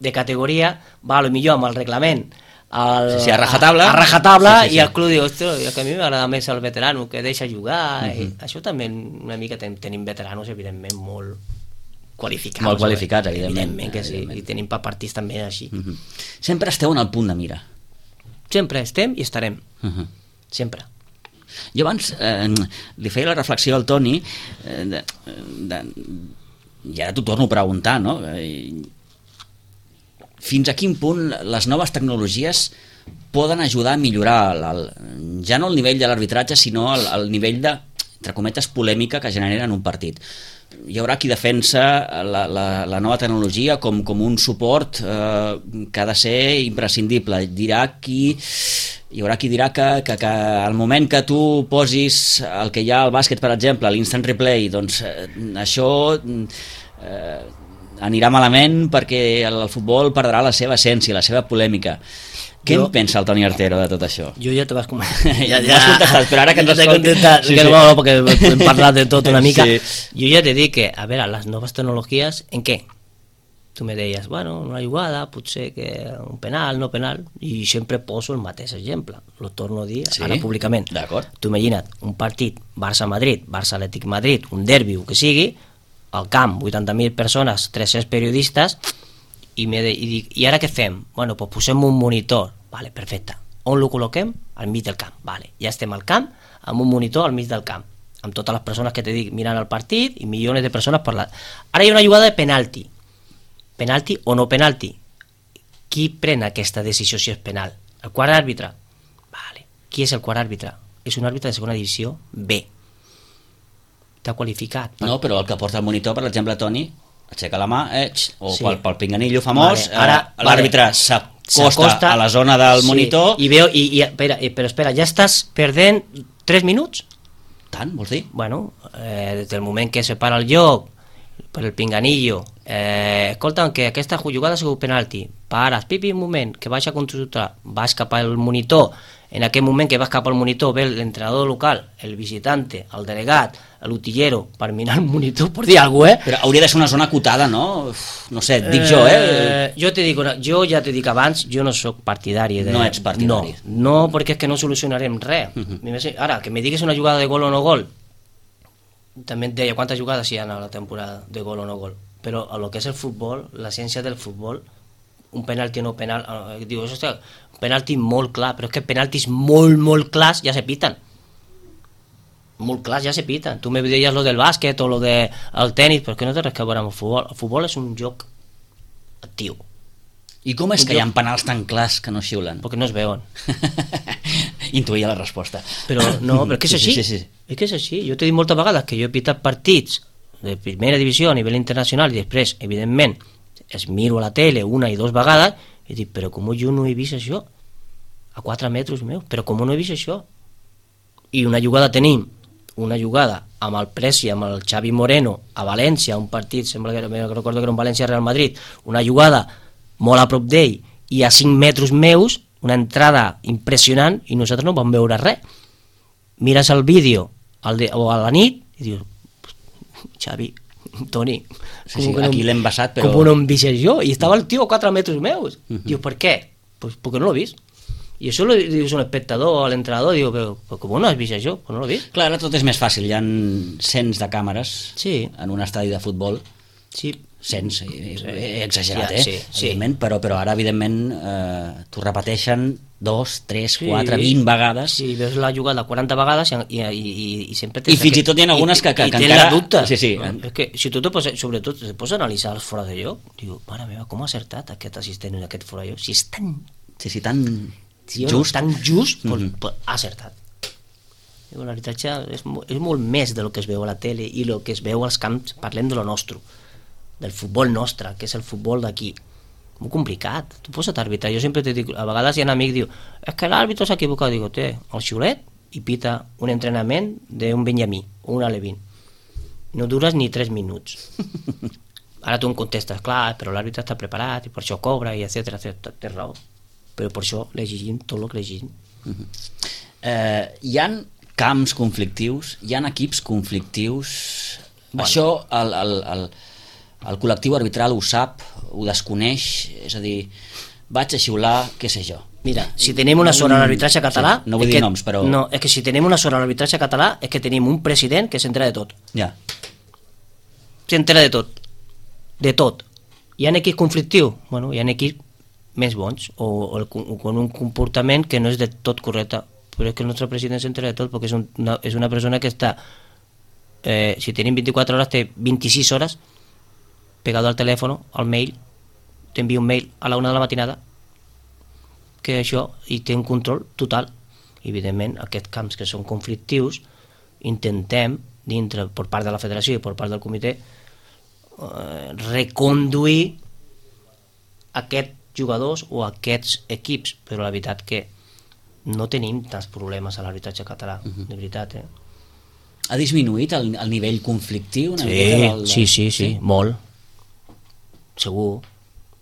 de categoria va a lo millor amb el reglament al, sí, sí, a rajatabla, a, a rajatabla sí, sí, sí. i el club diu, ostres, que a mi m'agrada més el veterano, que deixa jugar. Uh-huh. I això també una mica ten, tenim veteranos, evidentment, molt qualificats. Molt qualificats, evidentment. Evidentment que sí, evidentment. I tenim pa partits també així. Uh-huh. Sempre esteu en el punt de mira. Sempre estem i estarem. Uh-huh. Sempre. Jo abans eh, li feia la reflexió al Toni eh, de, de, i ara t'ho torno a preguntar, no? Eh, fins a quin punt les noves tecnologies poden ajudar a millorar el, el, ja no el nivell de l'arbitratge, sinó el, el nivell de, entre cometes, polèmica que genera en un partit. Hi haurà qui defensa la, la, la nova tecnologia com, com un suport eh, que ha de ser imprescindible. Dirà qui... Hi haurà qui dirà que, que, que al moment que tu posis el que hi ha al bàsquet, per exemple, l'instant replay, doncs eh, això eh, anirà malament perquè el, el futbol perdrà la seva essència, la seva polèmica. Què jo, en pensa el Toni Artero de tot això? Jo ja te vas comentar. ja, ja, m'has contestat, però ara que ens escolti... Sí, que sí. No, perquè hem parlat de tot una mica. Sí. Jo ja te dic que, a veure, les noves tecnologies, en què? Tu me deies, bueno, una jugada, potser que un penal, no penal, i sempre poso el mateix exemple, lo torno a dir sí? ara públicament. Tu imagina't, un partit Barça-Madrid, Barça-Atlètic Madrid, un derbi, o que sigui, al camp, vuitanta mil persones, tres-cents periodistes, i, me de, i dic, i ara què fem? Bueno, pues posem un monitor, vale, perfecte. On lo col·loquem? Al mig del camp, vale. Ja estem al camp, amb un monitor al mig del camp, amb totes les persones que te dic mirant el partit, i milions de persones parlant. Ara hi ha una jugada de penalti, penalti o no penalti. Qui pren aquesta decisió si és penal? El quart àrbitre? Vale. Qui és el quart àrbitre? És un àrbitre de segona divisió B. T'ha qualificat. Per... No, però el que porta el monitor, per exemple, Toni, aixeca la mà, eh, o sí. pel, pel pinganillo famós, vale. Ara, eh, l'àrbitre vale. s'acosta a la zona del sí. monitor... I veu, i, i, espera, però espera, ja estàs perdent tres minuts? Tant, vols dir? Bueno, eh, des del moment que se para el joc, per el pinganillo, eh, escolta'm, que aquesta jugada ha sigut penalti, pares, pipi, un moment, que vaig a consultar, vas cap al monitor, en aquell moment que vas cap al monitor ve l'entrenador local, el visitante, el delegat, l'utillero, per mirar el monitor, per dir alguna cosa, eh? Però hauria de ser una zona acotada, no? No sé, dic jo, eh? eh jo, te dic, jo ja t'he dit abans, jo no sóc partidari de... No ets partidari. No, no, perquè és que no solucionarem res. Uh-huh. Ara, que me digues una jugada de gol o no gol, també et deia quantes jugades hi ha a la temporada de gol o no gol, però a lo que és el futbol, l'essència del futbol, un penalti o no penal, eh, diu, hòstia, un penalti molt clar, però és que penaltis molt, molt clars ja se piten, molt clars ja se piten. Tu me deies lo del bàsquet o lo del tenis, però que no té res a veure amb el futbol. El futbol és un joc actiu. I com és un que joc... hi ha penals tan clars que no xiulen? Perquè no es veuen. Intuïa la resposta. Però no, però que és així. Sí, sí, sí. És que és així. Jo t'he dit moltes vegades que jo he pitat partits de primera divisió a nivell internacional i després, evidentment, es miro a la tele una i dues vegades i dic, però com jo no he vist això? A quatre metres meus, però com no he vist això? I una jugada tenim, una jugada amb el Preci, amb el Xavi Moreno a València, un partit, sembla que, que recordo que era un València-Real Madrid, una jugada molt a prop d'ell i a cinc metres meus, una entrada impressionant i nosaltres no vam veure res. Mires el vídeo al de, o a la nit i dius, Xavi, Toni, sí, sí, no, aquí l'hem basat, però... com no em vist jo? I estava el tio a quatre metres meus. Uh-huh. Diu, per què? Pues perquè no l'he vist. I això li dius a un espectador, a l'entrenador, diu, però, però com no has vist això? Però no l'he vist. Clar, ara tot és més fàcil, hi ha cents de càmeres sí. en un estadi de futbol. Sí. Cents, he exagerat, ja, eh? Sí, sí. Evidentment, però, però ara, evidentment, eh, t'ho repeteixen dos, tres, sí. quatre, vint vegades. Sí, veus la jugada quaranta vegades i, i, i, i sempre I fins i tot hi ha algunes que, que, i, que i encara... la dubte. Sí, sí. És que si tu te poses, sobretot, te poses a analitzar els fora de lloc, diu, mare meva, com ha acertat aquest assistent en aquest fora de lloc? Si és tan... Sí, sí, tan sí, just. Tan just, pues, mm-hmm. pues, ha acertat. L'arbitratge és, és molt més del que es veu a la tele i el que es veu als camps, parlem de lo nostre, del futbol nostre, que és el futbol d'aquí. Molt complicat. Tu posa't a arbitrar. Jo sempre te dic, a vegades hi ha un amic que diu, és que l'àrbitre s'ha equivocat. Digo, té el xiulet i pita un entrenament d'un Benjamí o un Alevín. No dures ni tres minuts. Ara tu em contestes, clar, però l'àrbitre està preparat i per això cobra i etcètera, etcètera. Té raó. Però per això l'exigim tot el que l'exigim. Uh-huh. eh, hi ha camps conflictius, hi ha equips conflictius. Bueno. Això el, el, el, el col·lectiu arbitral ho sap, ho desconeix, és a dir, vaig a xiular, què sé jo. Mira, si tenim una sort a l'arbitratge català... Sí, no vull dir que, noms, però... No, és que si tenim una sort a l'arbitratge català és que tenim un president que s'entera de tot. Ja. S'entera de tot. De tot. Hi ha equips conflictius? Bueno, hi ha equips més bons o, o, o con un comportament que no és de tot correcte. Però és que el nostre president s'entera de tot perquè és una, és una persona que està... Eh, si tenim vint-i-quatre hores, té vint-i-sis hores pegado al telèfon, al mail, t'envia un mail a la una de la matinada, que això, i té un control total. Evidentment, aquests camps que són conflictius, intentem, dintre, per part de la federació i per part del comitè, eh, reconduir aquests jugadors o aquests equips, però la veritat que no tenim tants problemes a l'arbitratge català, uh-huh. de veritat, eh? Ha disminuït el, el nivell conflictiu? Sí, del, del... sí, sí, sí, sí, molt. Segur,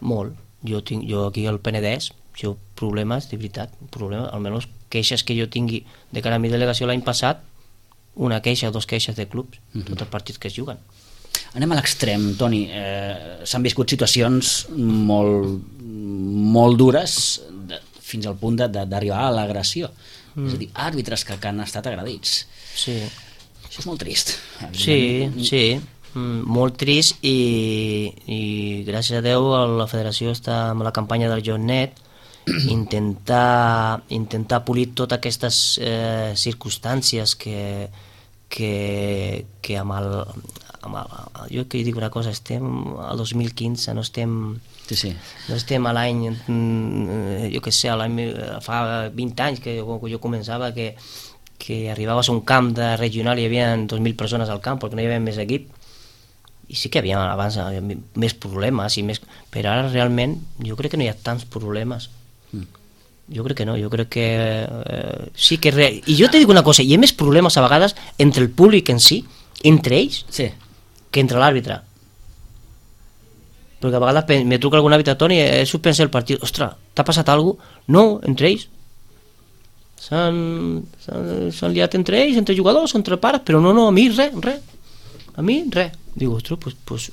molt. Jo, tinc, jo aquí al Penedès, si ho problemes, de veritat, problemes, almenys queixes que jo tingui de cara a mi delegació l'any passat, una queixa o dos queixes de clubs, uh-huh. tots els partits que es juguen. Anem a l'extrem, Toni. Eh, s'han viscut situacions molt, molt dures de, fins al punt d'arribar a l'agressió. Mm. És a dir, àrbitres que, que han estat agredits. Sí. Això és molt trist. Sí, sí. Mm, molt trist i, i gràcies a Déu la federació està amb la campanya del JohnNet intentar, intentar polir totes aquestes eh, circumstàncies que, que, que amb el, amb el, jo que dic una cosa, estem al dos mil quinze, no estem sí, sí. no estem a l'any jo que sé, l'any fa vint anys que jo, jo començava que, que arribaves a un camp de regional i hi havia dos mil persones al camp perquè no hi havia més equip. I sí que hi havia abans més problemes, i més, però ara realment jo crec que no hi ha tants problemes. Mm. Jo crec que no, jo crec que eh, sí que... Re... I jo te dic una cosa, hi ha més problemes a vegades entre el públic en si, entre ells, sí. que entre l'àrbitre. Perquè a vegades me truca algun àrbitre, Toni, he suspès el partit, ostres, t'ha passat alguna cosa? No, entre ells. S'han liat entre ells, entre jugadors, entre pares, però no, no, a mi res, res. A mi res. Digo, ostres, pues, pues,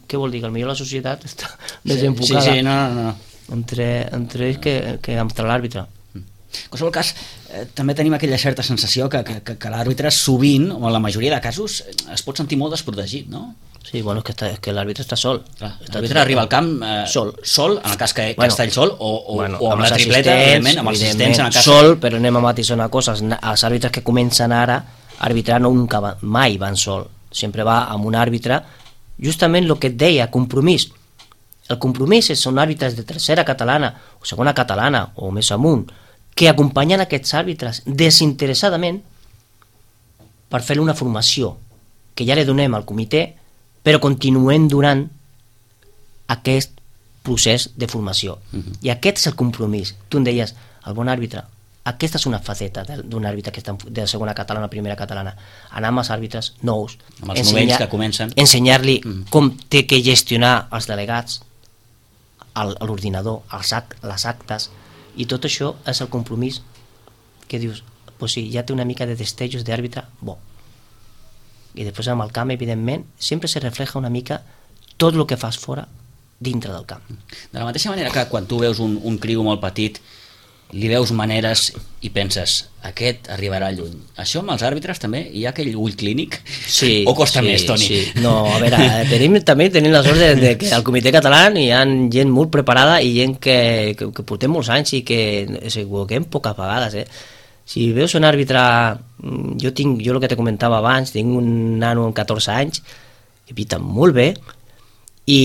què vol dir? Que potser la societat està desenfocada sí, sí, no, no, no. entre, entre ells que, que entre l'àrbitre. En qualsevol cas, eh, també tenim aquella certa sensació que, que, que l'àrbitre sovint, o en la majoria de casos, es pot sentir molt desprotegit, no? Sí, bueno, és que, està, és que l'àrbitre està sol. L'àrbitre arriba al camp eh, sol. sol, en el cas que, que bueno, està ell sol, o, o, bueno, o amb, amb la tripleta, evidentment, amb els assistents en el cas... Sol, però anem a matisar una cosa, els àrbitres que comencen ara a arbitrar no nunca van, mai van sol. Sempre va amb un àrbitre, justament el que et deia, compromís. El compromís són àrbitres de tercera catalana o segona catalana o més amunt que acompanyen aquests àrbitres desinteressadament per fer una formació que ja li donem al comitè, però continuem durant aquest procés de formació. Uh-huh. I aquest és el compromís. Tu em deies, el bon àrbitre, aquesta és una faceta d'un àrbitre que està de segona catalana o primera catalana. Anar amb els àrbitres nous, amb els novells que comencen, ensenyar-li mm. com té que gestionar els delegats, a l'ordinador, els act, les actes, i tot això és el compromís que dius, pues sí, ja té una mica de destellos d'àrbitre bo. I després amb el camp, evidentment, sempre se refleja una mica tot el que fas fora dintre del camp. De la mateixa manera que quan tu veus un, un criu molt petit li veus maneres i penses, aquest arribarà lluny. Això amb els àrbitres també? Hi ha aquell ull clínic? Sí, o costa sí, més, Toni? Sí. No, a veure, tenim, també tenim la sort de, de que al Comitè Català hi ha gent molt preparada i gent que, que, que portem molts anys i que s'equivoquem poques vegades, eh? Si veus un àrbitre, jo tinc, jo el que te comentava abans, tinc un nano amb catorze anys que pita molt bé i,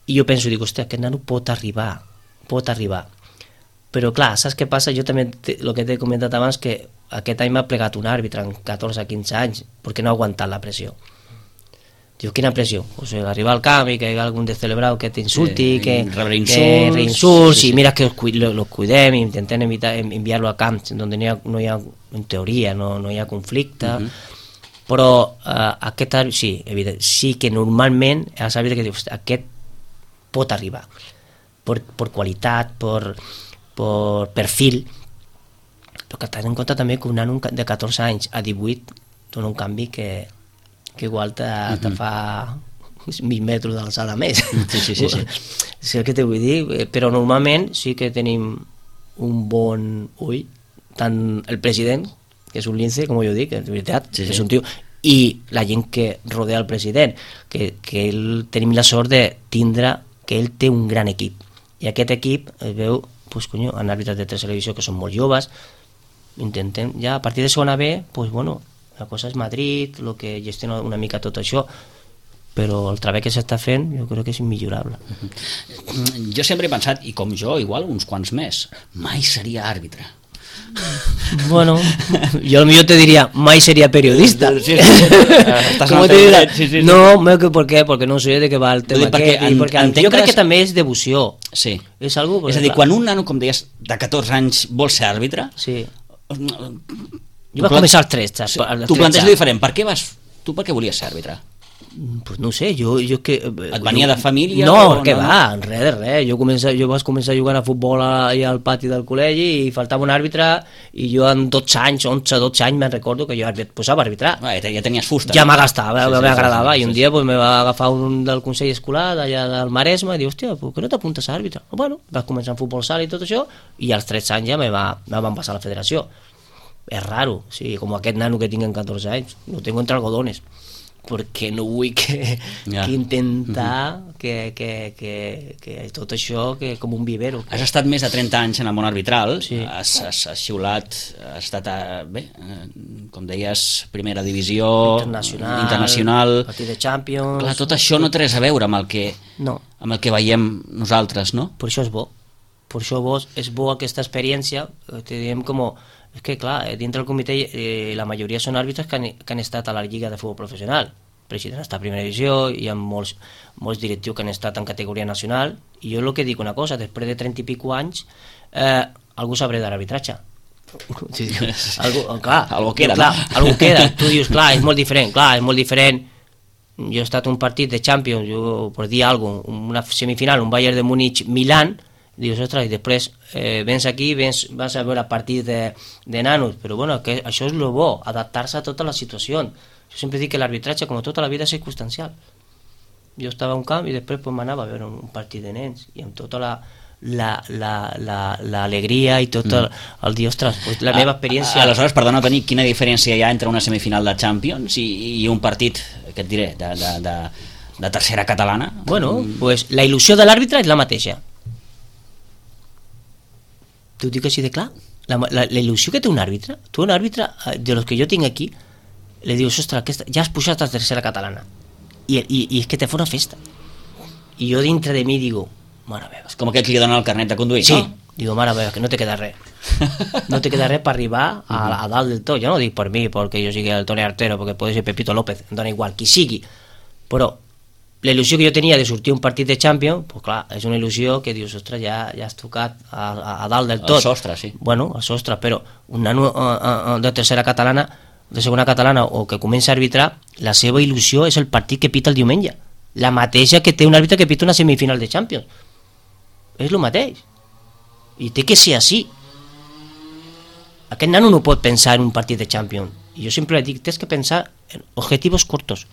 i jo penso, dic, hòstia, aquest nano pot arribar, pot arribar. Però clar, saps què passa? Jo també, el que t'he comentat abans, que aquest any m'ha plegat un àrbitre amb catorze a quinze anys perquè no ha aguantat la pressió. Diu, quina pressió? Pues arribar al camp i que hi ha algun descelebrado que t'insulti, sí, que rebre insults, que reinsults, sí, sí. i mira que los cuidem i intentem evitar, enviar-lo a camps on no hi ha, no hi ha, en teoria, no, no hi ha conflicte, uh -huh. però uh, aquest àrbitre, sí, evident, sí que normalment els àrbitres que dius, aquest pot arribar, per, per qualitat, per, per perfil, però que t'has en compte també que un nano de catorze anys a divuit dona un canvi que que igual te, uh-huh. te fa mil metres d'alçada més. Sí, sí, sí, sí. Sí el que te vull dir, però normalment sí que tenim un bon ull, tant el president, que és un lince, com jo dic, de veritat, sí, sí. És un tio, i la gent que rodea el president, que, que ell, tenim la sort de tindre, que ell té un gran equip, i aquest equip es veu, pues, conyo, en àrbitres de tercera divisió que són molt joves, intentem, ja a partir de segona B, pues bueno, la cosa és Madrid, el que gestiona una mica tot això, però el treball que s'està fent jo crec que és immillorable. Uh-huh. Jo sempre he pensat, i com jo, igual uns quants més, mai seria àrbitre. Bueno, yo millor te diría, mai sería periodista. Sí, sí, sí. ¿Cómo te dirá? Sí, sí, sí. No, ¿por qué? Porque no sé de què va el tema perquè aquest. Perquè en, jo crec que també és devoció. Sí. És, algo, és a dir, clar, quan un nano, com deies, de catorze anys vol ser àrbitre... Sí. Jo vaig començar als tretze. Sí, tu planteges diferent. Per què vas... Tu per què volies ser àrbitre? Pues no sé, jo... jo que, Et venia jo, de família? No, què no? Va, res de res. Jo, comença, jo vaig començar jugant a futbol allà al pati del col·legi i faltava un àrbitre i jo amb dotze anys, onze, dotze anys, me'n recordo que jo posava a arbitrar. Ah, ja tenies fusta. Ja m'agastava, sí, sí, m'agradava. Sí, sí, I un dia pues, me va agafar un del Consell Escolar d'allà del Maresme i diu, hòstia, per què no t'apuntes a àrbitre? Bueno, vaig començar en futbol sala i tot això i als tretze anys ja me, va, me van passar a la federació. És raro, sí, com aquest nano que tinc en catorze anys, lo tengo entre algodones, perquè no vull que, ja. que intentar uh-huh. que, que, que, que tot això que com un vivero. Que... Has estat més de trenta anys en el món arbitral, sí. has, has, has xiulat, has estat, a, bé, com deies, primera divisió, internacional, internacional. Partit de Champions... Clar, tot això no té res a veure amb el que, no. amb el que veiem nosaltres, no? Per això és bo, per això bo, és bo aquesta experiència, te diem com... És que, clar, dintre del comitè eh, la majoria són àrbitres que han, que han estat a la Lliga de Futbol Professional. El president està a primera divisió, hi ha molts, molts directius que han estat en categoria nacional, i jo el que dic una cosa, després de trenta i pico anys, eh, algú sabré d'arbitratge. Sí, algú, clar, algú queda, clar, no? Algú queda. Tu dius, clar, és molt diferent, clar, és molt diferent. Jo he estat un partit de Champions, jo, per dir alguna cosa, una semifinal, un Bayern de Múnich-Milán, dius, ostres, i després eh, vens aquí, vens, vas a veure partits de, de nanos, però bueno, que això és lo bo, adaptar-se a tota la situació. Jo sempre dic que l'arbitratge, com tota la vida, és circumstancial. Jo estava a un camp i després pues, m'anava a veure un partit de nens, i amb tota la l'alegria la, la, la, i tot el, el dir, ostres, pues, la meva experiència... Aleshores, perdona, Toni, quina diferència hi ha entre una semifinal de Champions i, i un partit, què et diré, de, de, de, de tercera catalana? Bueno, pues la il·lusió de l'àrbitre és la mateixa. T'ho dic així de clar, la, la, la il·lusió que té un àrbitre, tu un àrbitre de los que jo tinc aquí, li dius, ostres, aquesta, ja has pujat a tercera catalana i, i, i és que te fa una festa i jo dintre de mi digo, mare meva, és com aquell que li donen el carnet de conduir, sí, no? Digo, mare meva, que no te queda res no te queda res per arribar a, a dalt del tot, jo no dic per mi perquè jo sigui el Toni Artero, perquè pot ser Pepito López, em dona igual, qui sigui, però la il·lusió que jo tenia de sortir un partit de Champions, pues clar, és una il·lusió que dius, ostres, ja, ja has tocat a, a, a dalt del tot. El sostre, sí. Bueno, el sostre, però un nano uh, uh, de tercera catalana, de segona catalana, o que comença a arbitrar, la seva il·lusió és el partit que pita el diumenge. La mateixa que té un àrbitre que pita una semifinal de Champions. És el mateix. I té que ser així. Aquest nano no pot pensar en un partit de Champions. I jo sempre dic, tens que pensar en objetivos cortos.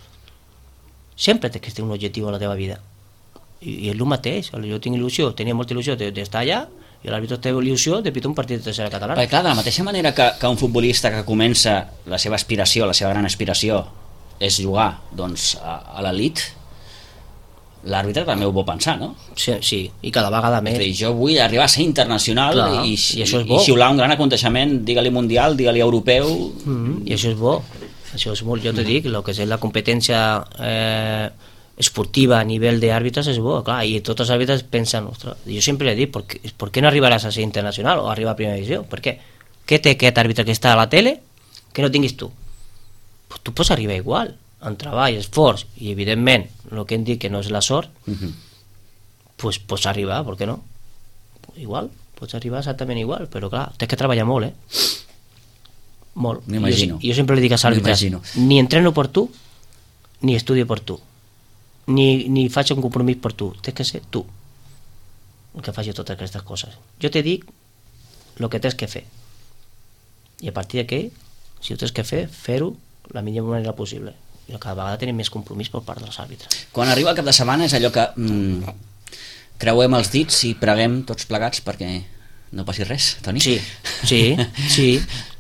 Sempre tens que tenir un objectiu a la teva vida i, i és el mateix, jo tinc il·lusió, tenia molta il·lusió d'estar allà i l'àrbitre té il·lusió de pitar un partit de tercera catalana. Perquè clar, de la mateixa manera que, que un futbolista que comença la seva aspiració, la seva gran aspiració és jugar doncs, a, a l'elit, l'àrbitre també ho vol pensar, no? Sí, sí, i cada vegada més. És a dir, jo vull arribar a ser internacional. Clar, i, i, això és bo. I xiular un gran aconteixement, digue-li mundial, digue-li europeu. Mm-hmm. I això és bo, això és molt, jo te dic, el que és la competència eh, esportiva a nivell d'àrbitres és bo, clar, i tots els àrbitres pensen, ostres, jo sempre he dit, ¿por qué, ¿por qué no arribaràs a ser internacional o arribar a primera divisió? Per què? Què té aquest àrbitre que està a la tele que no tinguis tu? Pues tu pots arribar igual, en treball, esforç, i evidentment, el que hem dit que no és la sort, uh-huh. pues pots arribar, per què no? Igual, pots arribar exactament igual, però clar, tens que treballar molt, eh? Molt. M'imagino. Jo, jo sempre li dic als àrbitres, ni entreno per tu, ni estudio per tu. Ni, ni faig un compromís per tu, tens que ser tu el que faci totes aquestes coses. Jo te dic el que tens que fer i a partir d'aquí, si ho tens que fer, fer-ho la millor manera possible, i cada vegada tenim més compromís per part dels àrbitres. Quan arriba el cap de setmana és allò que mm, creuem els dits i preguem tots plegats perquè no passi res, Toni? Sí, sí, sí,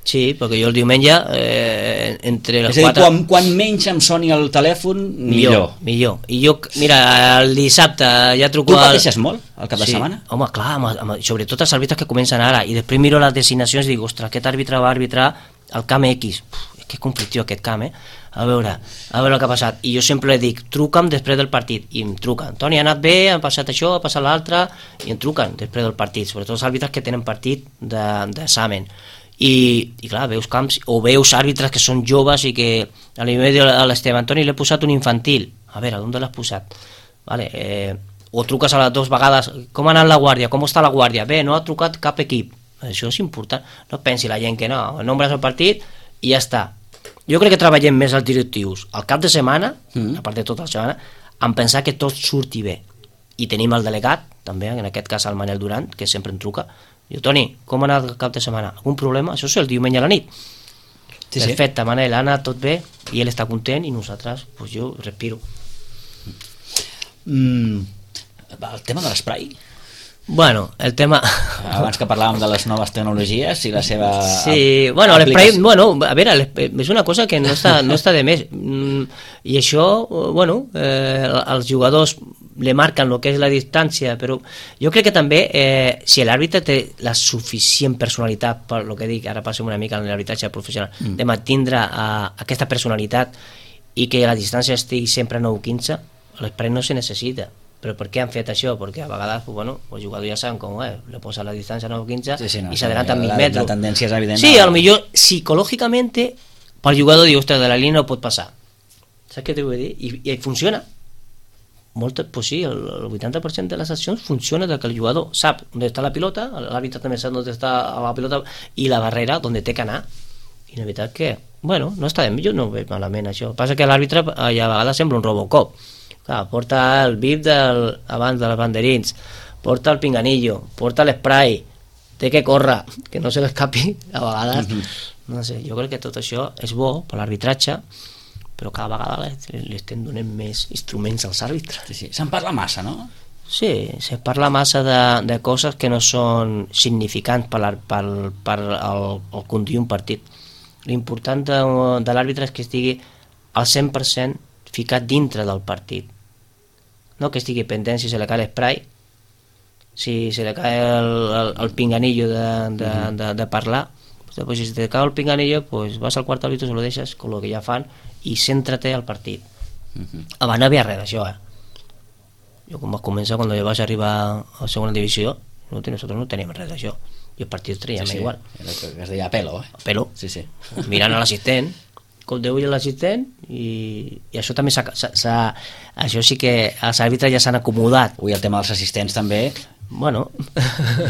sí, perquè jo el diumenge eh, entre les és a dir, quatre... quan, quan menys em soni el telèfon, millor. Millor, millor. I jo, mira, el dissabte ja truco... Tu pateixes molt el cap de sí. setmana? Home, clar, amb, amb, sobretot els àrbitres que comencen ara, i després miro les designacions i dic, ostres, aquest àrbitre va arbitrar el camp X. Uf, que conflictiu aquest camp, eh? A veure, a veure el que ha passat. I jo sempre li dic, truca'm després del partit, i em truquen. Toni, ha anat bé, ha passat això, ha passat l'altre, i em truquen després del partit, sobretot els àrbitres que tenen partit d'examen. I, i clar, veus camps, o veus àrbitres que són joves i que a l'Imed a l'Esteban, Toni, l'he posat un infantil. A veure, on l'has posat? Vale, eh, o truques a les dues vegades, com ha anat la guàrdia, com està la guàrdia? Bé, no ha trucat cap equip. Això és important. No pensi la gent que no, nombres el partit i ja està. Jo crec que treballem més els directius al cap de setmana, mm. a part de tota la setmana, en pensar que tot surti bé. I tenim el delegat, també, en aquest cas el Manel Durant, que sempre em truca. Diu, Toni, com ha anat el cap de setmana? Algun problema? Això és el diumenge a la nit. Sí, perfecte, sí. Manel, ha anat tot bé, i ell està content, i nosaltres, pues jo respiro. Mm, el tema de l'esprai? Bueno, el tema... Abans que parlàvem de les noves tecnologies i la seva... Sí, bueno, l'esprai, bueno, a veure, és una cosa que no està, no està de més. I això, bueno, eh, els jugadors le marquen el que és la distància, però jo crec que també, eh, si l'àrbitre té la suficient personalitat, per el que dic, ara passem una mica en l'arbitratge professional, mm. de mantindre uh, aquesta personalitat i que la distància estigui sempre a nou quinze, l'esprai no se necessita. Però per què han fet això? Perquè a vegades, bueno, els jugadors ja saben com, eh, le posa la distància a nou quinze sí, sí, no, i s'adelanten mil metres. La tendència és evident. Sí, a lo millor psicològicament pel jugador diu, ostres, de la línia no pot passar. Saps què t'ho vull dir? I, i funciona. Molt, pues sí, el, el vuitanta per cent de les accions funciona que el jugador sap on està la pilota, l'àrbitre també sap on està la pilota i la barrera on té que anar. I la veritat que, bueno, no està bé, jo no ho veig malament això. Passa que l'àrbitre a vegades sembla un Robocop. Clar, porta el bip del, abans dels banderins, porta el pinganillo, porta l'esprai, té que córrer, que no se l'escapi a vegades. Mm-hmm. No sé, jo crec que tot això és bo per l'arbitratge, però cada vegada li estem donant més instruments als àrbitres. Sí, sí. Se'n parla massa, no? Sí, se parla massa de, de coses que no són significants per, per, per el, el conduir un partit. L'important de, de l'àrbitre és que estigui al cent per cent ficat dintre del partit. No que estigui pendent si se le cae l'esprai, si se le cae el, el, el pinganillo de, de, de, de parlar, pues si te cae el pinganillo, pues vas al quart árbitro, se lo deixes con lo que ja fan i céntrate al partit. Uh-huh. Abans no havia res d'això, eh? Jo quan vaig començar, quan jo vaig arribar a segona divisió, no, nosaltres no teníem res d'això, i el partit traiem sí, sí. igual. Era que es deia a pelo, eh? A pelo, sí, sí. Mirant a l'assistent, com Déu i l'assistent, i, i això també s'ha, s'ha, això sí que els àrbitres ja s'han acomodat. Ui, el tema dels assistents també bueno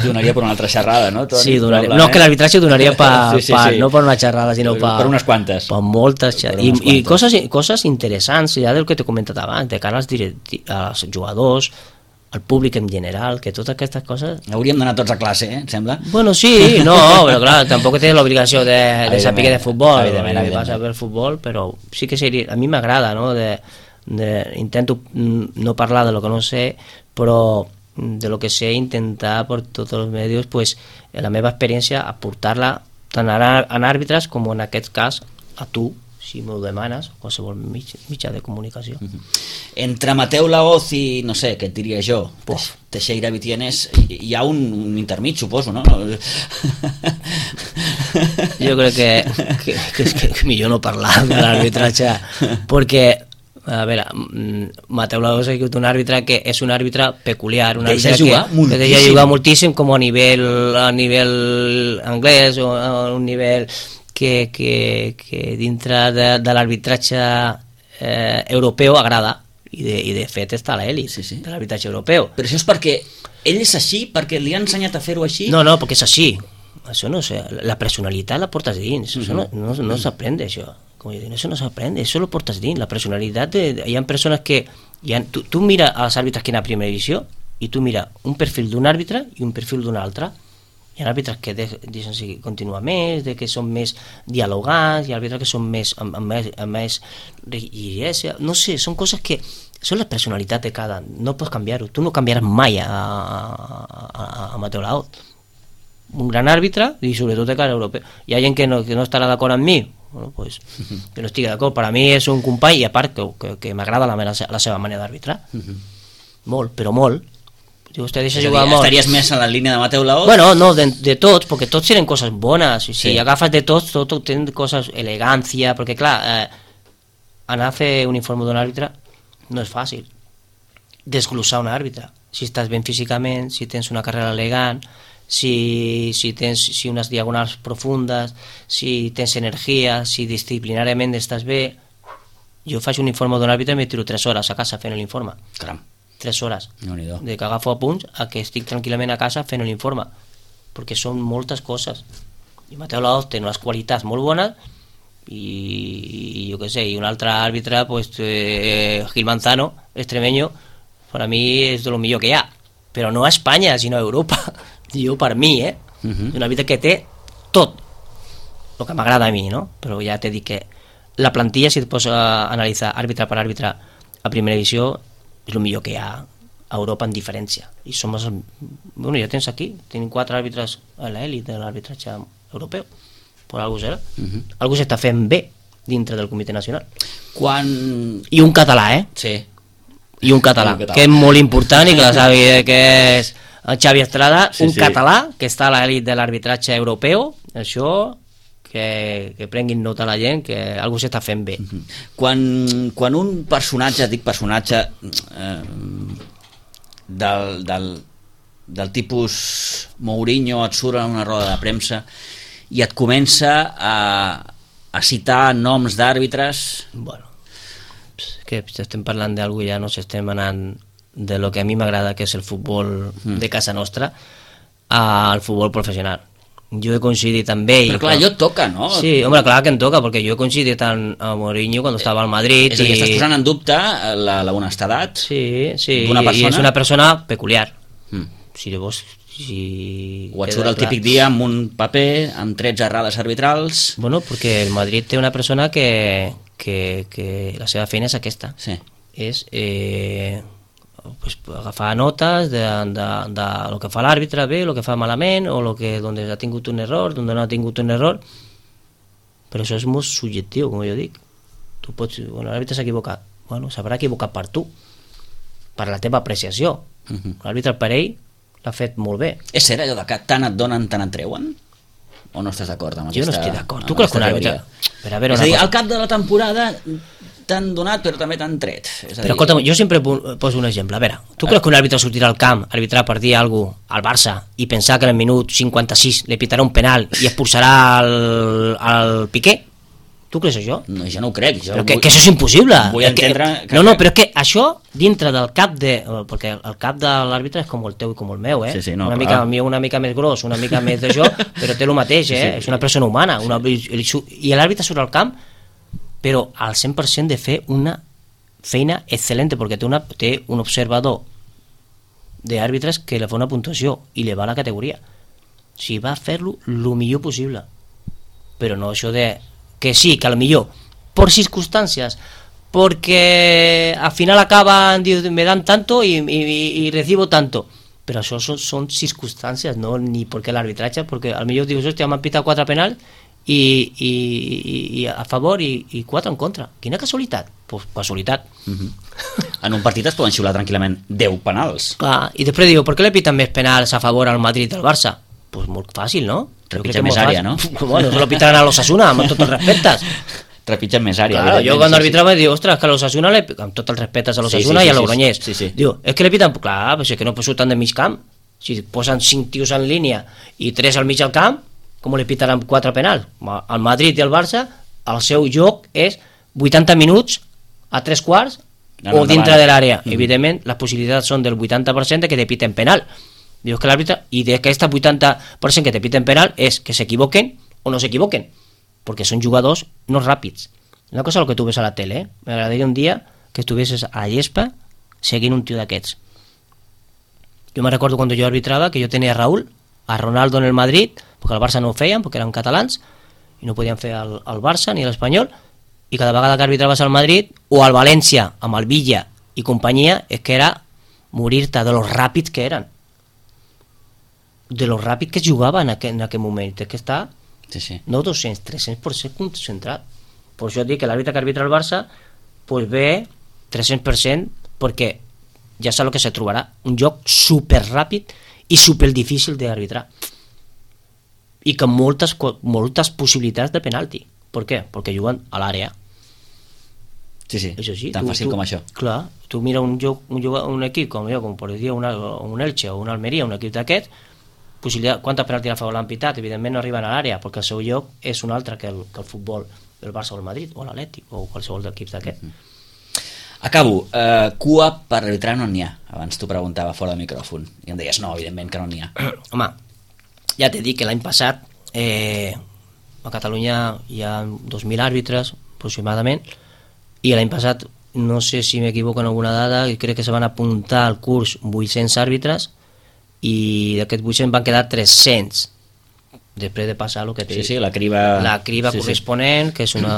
donaria per una altra xerrada, no, Toni? Sí, donaria, no, que l'arbitratge donaria pa, sí, sí, pa, sí. No per una xerrada, sinó per, per unes quantes, per moltes xerrades, per i, i coses, coses interessants, ja del que t'he comentat abans, de cara als, directi, als jugadors, al públic en general, que totes aquestes coses... Hauríem d'anar tots a classe, eh, em sembla? Bueno, sí, no, però clar, tampoc tens l'obligació de, de saber de futbol, evidentment, evidentment. Vas a ver futbol, però sí que seria, a mi m'agrada, no? De, de, intento no parlar de lo que no sé, però de lo que sé, intentar por tots els medios, pues, la meva experiència, aportar-la tant en àrbitres com en aquest cas a tu, si m'ho demanes, qualsevol mig, mitjà de comunicació. Uh-huh. Entre Mateu Laoz i, no sé, què et diria jo, Puf. Teixeira Vitienes, hi ha un, un intermig, suposo, no? Jo crec que, que, que, que, que millor no parlar de l'arbitratge, perquè, a veure, Mateu Laoz ha sigut un àrbitre que és un àrbitre peculiar, un àrbitre que, que deixa jugar moltíssim, com a nivell, a nivell anglès o a un nivell que, que, que dintre de, de l'arbitratge eh, europeu agrada, i de, i de fet està a l'elit sí, sí. de l'arbitratge europeu. Però això és perquè ell és així, perquè li ha ensenyat a fer-ho així? No, no, perquè és així. Això no sé, la personalitat la portes dins, això no, no, no s'aprende, això. Com jo dic, això no s'aprende, això lo portes dins. La personalitat, de, hi ha persones que... Hi ha, tu, tu mira als àrbitres que hi ha a primera divisió i tu mira un perfil d'un àrbitre i un perfil d'un altre. Hi ha àrbitres que deixen seguir continuar més, de que són més dialogants, hi ha àrbitres que són més amb, amb més, amb més rigidesa, no sé, són coses que són la personalitat de cada, no pots canviar-ho, tu no canviaràs mai a, a, a, a Mateu Laoz, un gran àrbitre i sobretot de cara europeu. Hi ha gent que no, que no estarà d'acord amb mi, bueno, pues, que no estigui d'acord, per a mi és un company i a part que, que, que m'agrada la, la seva manera d'arbitrar, molt, però molt. Vostè deixa jugar molt. Estaries més en la línia de Mateu Laoz? Bueno, no, de, de tots, perquè tots tenen coses bones. Si sí. agafes de tots, tot, tot tenen coses, elegància, perquè clar, eh, anar a fer un informe d'un àrbitre no és fàcil. Desglossar un àrbitre. Si estàs ben físicament, si tens una carrera elegant, si, si tens si unes diagonals profundes, si tens energia, si disciplinàriament estàs bé. Jo faig un informe d'un àrbitre i me tiro tres hores a casa fent l'informe. Caram. tres hores, no de que agafo apunts a que estic tranquil·lament a casa fent l'informe, perquè són moltes coses. I Mateu Laoz té unes qualitats molt bones i, i jo què sé, i un altre àrbitre, pues, eh, Gil Manzano, extremeño, per a mi és de lo millor que hi ha, però no a Espanya, sinó a Europa. Jo, per mi, eh? Uh-huh. Un àrbitre que té tot, el que m'agrada a mi, no? Però ja t'he dit que la plantilla, si et pots analitzar àrbitre per àrbitre a primera divisió, és el millor que hi ha a Europa en diferència. I som els... Bueno, ja tens aquí, tenim quatre àrbitres a l'elit de l'arbitratge europeu. Per algú serà. Uh-huh. Algú s'està fent bé dintre del comitè nacional. Quan... I un català, eh? Sí. I un català, un català. Que és molt important i que la sabi que és el Xavi Estrada, sí, un sí. català que està a l'elit de l'arbitratge europeu. Això... Que, que prenguin nota la gent, que algú s'està fent bé. Quan, quan un personatge, dic personatge, eh, del, del, del tipus Mourinho et surt en una roda de premsa i et comença a, a citar noms d'àrbitres... Bueno, que estem parlant d'algú, ja no s'estem anant de lo que a mi m'agrada, que és el futbol mm. de casa nostra, al futbol professional. Jo he coincidit amb ell. Però clar, allò et toca, no? Sí, home, clar que em toca, perquè jo he coincidit amb Mourinho quan estava al Madrid. És a dir, i... estàs posant en dubte la, la honestedat sí, sí, d'una persona? I és una persona peculiar. Mm. Si llavors... Si... O et surt el típic dia amb un paper, amb tretze errades arbitrals... Bueno, perquè el Madrid té una persona que, que, que la seva feina és aquesta. Sí. És... Eh... Pues, agafar notes de, de, de lo que fa l'àrbitre bé, lo que fa malament, o lo que, donde ha tingut un error, donde no ha tingut un error. Però això és molt subjectiu, com jo dic. Tu pots, bueno, l'àrbitre s'ha equivocat. Bueno, s'haurà equivocat per tu, per la teva apreciació. Uh-huh. L'àrbitre per ell l'ha fet molt bé. És cert allò de que tant et donen, tant et treuen? O no estàs d'acord amb aquesta... Jo no estic d'acord. Tu creus que un àrbitre... Però a veure, és a dir, al cap de la temporada... t'han donat però també t'han tret. És a però dir... escolta'm, jo sempre poso un exemple. A veure, tu creus que un àrbitre sortirà al camp a arbitrar per dir alguna cosa al Barça i pensar que en el minut cinquanta-sis li pitarà un penal i expulsarà el, el Piqué? Tu creus això? No, jo no ho crec. Jo però que, vull... que això és impossible. Vull entendre... Que... Que... No, no, però és que això dintre del cap de... Perquè el cap de l'àrbitre és com el teu i com el meu, eh? Sí, sí, no, una mica, mi una mica més gros, una mica més d'això, però té el mateix, eh? Sí, sí. És una persona humana. Una... I l'àrbitre surt al camp però al cent per cent de fer una feina excel·lent, perquè té, una, té un observador d'àrbitres que li fa una puntuació i li va a la categoria. O sigui, va fer-lo el millor possible. Però no això de que sí, que a lo millor, per circunstàncies, perquè al final acaban, diu, me dan tanto y, y, y recibo tanto. però això són, són circumstàncies, no ni perquè l'arbitratge, perquè al millor dius, hòstia, m'han pitat quatre penals i, i, i, i a favor i, i quatre en contra. Quina casualitat? Pues casualitat. Mm-hmm. En un partit es poden xiular tranquil·lament deu penals. Clar, i després diu, per què le piten més penals a favor al Madrid i al Barça? Pues molt fàcil, no? Trepitja més àrea, no? Bueno, se lo pitaran a l'Osasuna, amb tots els respectes. Trepitja més àrea. Claro, jo quan arbitrava diu, ostres, que a l'Osasuna, amb tots els respectes a l'Osasuna sí, sí, sí, i a l'Ogroñés, sí, sí. diu, és que le piten, clar, però és que no surten de mig camp, si posen cinc tios en línia i tres al mig del camp, com le pitaran quatre penals? Al Madrid i al Barça, el seu joc és vuitanta minuts a tres quarts o dintre de l'àrea. Mm. Evidentment, les possibilitats són del vuitanta per cent de que te piten penal. Dius que l'àrbitre, i d'aquesta vuitanta per cent que te piten penal és que s'equivoquen o no s'equivoquen, perquè són jugadors no ràpids. Una cosa és el que tu ves a la tele, eh? M'agradaria un dia que estuvessis a llespa seguint un tio d'aquests. Jo me recordo quan jo arbitrava que jo tenia a Raúl, a Ronaldo en el Madrid, perquè el Barça no ho feien, perquè eren catalans i no podien fer el, el Barça ni l'Espanyol, i cada vegada que arbitraves al Madrid o al València amb el Villa i companyia, és que era morir-te de los ràpids que eren, de lo ràpid que es jugava en aquell, en aquell moment. És que està sí, sí. no dos-cents, tres-cents per cent concentrat. Per això dic que l'àrbitre que arbitra el Barça pues ve tres-cents per cent perquè ja sap el que se trobarà, un joc super ràpid i super difícil d'arbitrar i amb moltes, moltes possibilitats de penalti. Per què? Perquè juguen a l'àrea. Sí, sí, això sí, tan tu, fàcil tu, com això. Clar, tu mira un, joc, un, joc, un equip com jo, com per dir una, un Elche o una Almeria, un equip d'aquest, possibilitat, quanta penalti a favor l'han pitat, evidentment no arriben a l'àrea perquè el seu lloc és un altre que el, que el futbol del Barça o el Madrid o l'Atlètic o qualsevol d'equips d'aquest. Mm-hmm. Acabo, eh, cua per arbitrar no n'hi ha, abans t'ho preguntava fora de micròfon i em deies no, evidentment que no n'hi ha. Home, ja t'he dit que l'any passat eh, a Catalunya hi ha dos mil àrbitres aproximadament i l'any passat, no sé si m'equivoco en alguna dada, crec que se van apuntar al curs vuit-cents àrbitres i d'aquests vuit-cents van quedar tres-cents després de passar el que té sí, sí, la criba, la criba sí, corresponent sí. Que és una,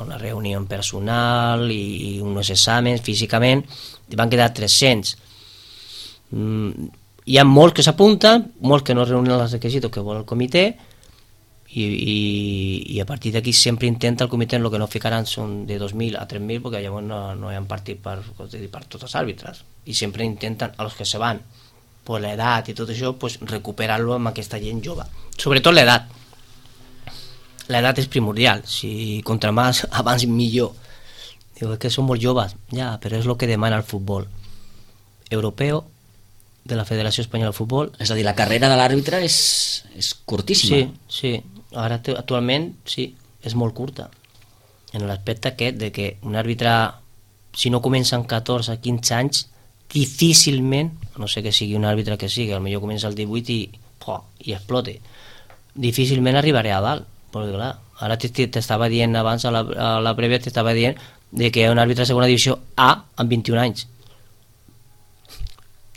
una reunió personal i, i uns exàmens físicament i van quedar tres-cents. mm, hi ha molts que s'apunten, molts que no reúnen els requisits que vol el comitè i, i, i a partir d'aquí sempre intenta el comitè, el que no ficaran són de dos mil a tres mil perquè llavors no, no hi ha partit per, per tots els àrbitres i sempre intenten els que se van per l'edat i tot això, pues, recuperar-lo amb aquesta gent jove. Sobretot l'edat. L'edat és primordial. Si contra més abans millor. Diu, és que són molt joves. Ja, però és el que demana el futbol europeu de la Federació Espanyola de Futbol. És a dir, la carrera de l'àrbitre és, és curtíssima. Sí, sí. Ara actualment sí, és molt curta. En l'aspecte aquest de que un àrbitre, si no comença amb catorze a quinze anys, difícilment, no sé que sigui un àrbitre que sigui, potser comença al divuit i, oh, i explote, difícilment arribaré a dalt, perquè clar, ara t'estava dient abans a la, a la prèvia t'estava dient de que un àrbitre de segona divisió A amb vint-i-un anys.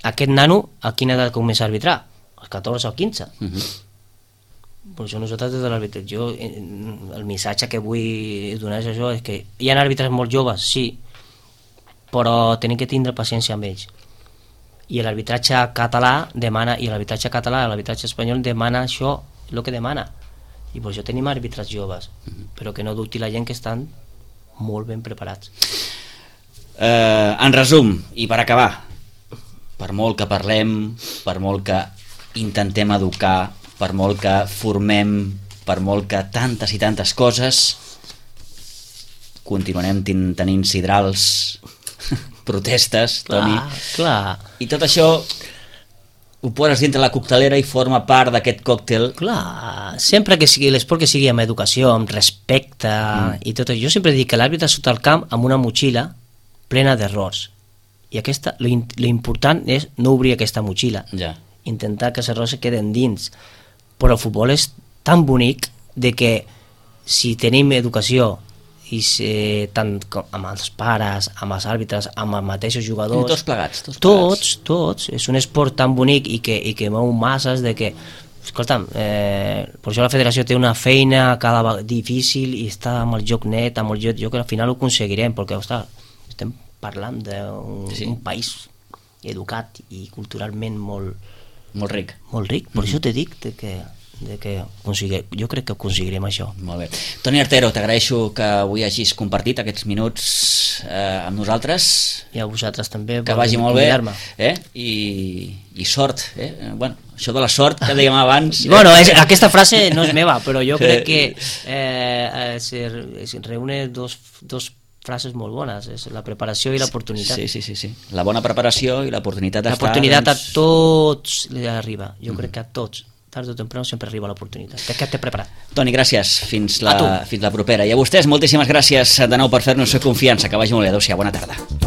Aquest nano a quina edat comença a arbitrar? Als catorze o quinze. Uh-huh. Per això nosaltres des de l'àrbitre, jo el missatge que vull donar és això, és que hi ha àrbitres molt joves, sí, però tenim que tindre paciència amb ells i l'arbitratge català demana i l'arbitratge català, l'arbitratge espanyol demana això, el que demana i per això tenim àrbitres joves però que no dubti la gent que estan molt ben preparats. eh, en resum i per acabar, per molt que parlem, per molt que intentem educar, per molt que formem, per molt que tantes i tantes coses continuarem ten- tenint sidrals protestes, Toni. Clar, clar. I tot això ho poses dintre la coctelera i forma part d'aquest còctel. Clar, sempre que sigui l'esport que sigui amb educació, amb respecte mm. i tot això. Jo sempre dic que l'àrbitre surt al camp amb una motxilla plena d'errors. I aquesta, l'important és no obrir aquesta motxilla. Ja. Intentar que els errors es queden dins. Però el futbol és tan bonic de que si tenim educació i ser tant amb els pares, amb els àrbitres, amb els mateixos jugadors, tots plegats, tots, tots, tots, és un esport tan bonic i que, i que mou masses de que, escolta'm, eh, per això la federació té una feina cada vegada difícil i està amb el joc net, amb el joc, jo que al final ho aconseguirem, perquè ostres, estem parlant d'un sí. un país educat i culturalment molt, molt ric. Molt ric, per mm-hmm. això te dic de que, de que consigue, jo crec que aconseguirem això. Molt bé. Toni Artero, t'agraeixo que avui hagis compartit aquests minuts eh, amb nosaltres. I a vosaltres també. Que vagi molt bé. Eh? I, I sort. Eh? Bueno, això de la sort que dèiem abans... Bueno, és, aquesta frase no és meva, però jo crec que eh, se, es reúne dos, dos frases molt bones, és la preparació i l'oportunitat. Sí, sí, sí, sí. La bona preparació i l'oportunitat d'estar... L'oportunitat doncs... a tots li arriba, jo mm. crec que a tots. Tard o temprano sempre arriba l'oportunitat. Que t'he preparat. Toni, gràcies. Fins la, fins la propera. I a vostès, moltíssimes gràcies de nou per fer-nos confiança. Que vagi molt bé. Adéu-siau. Bona tarda.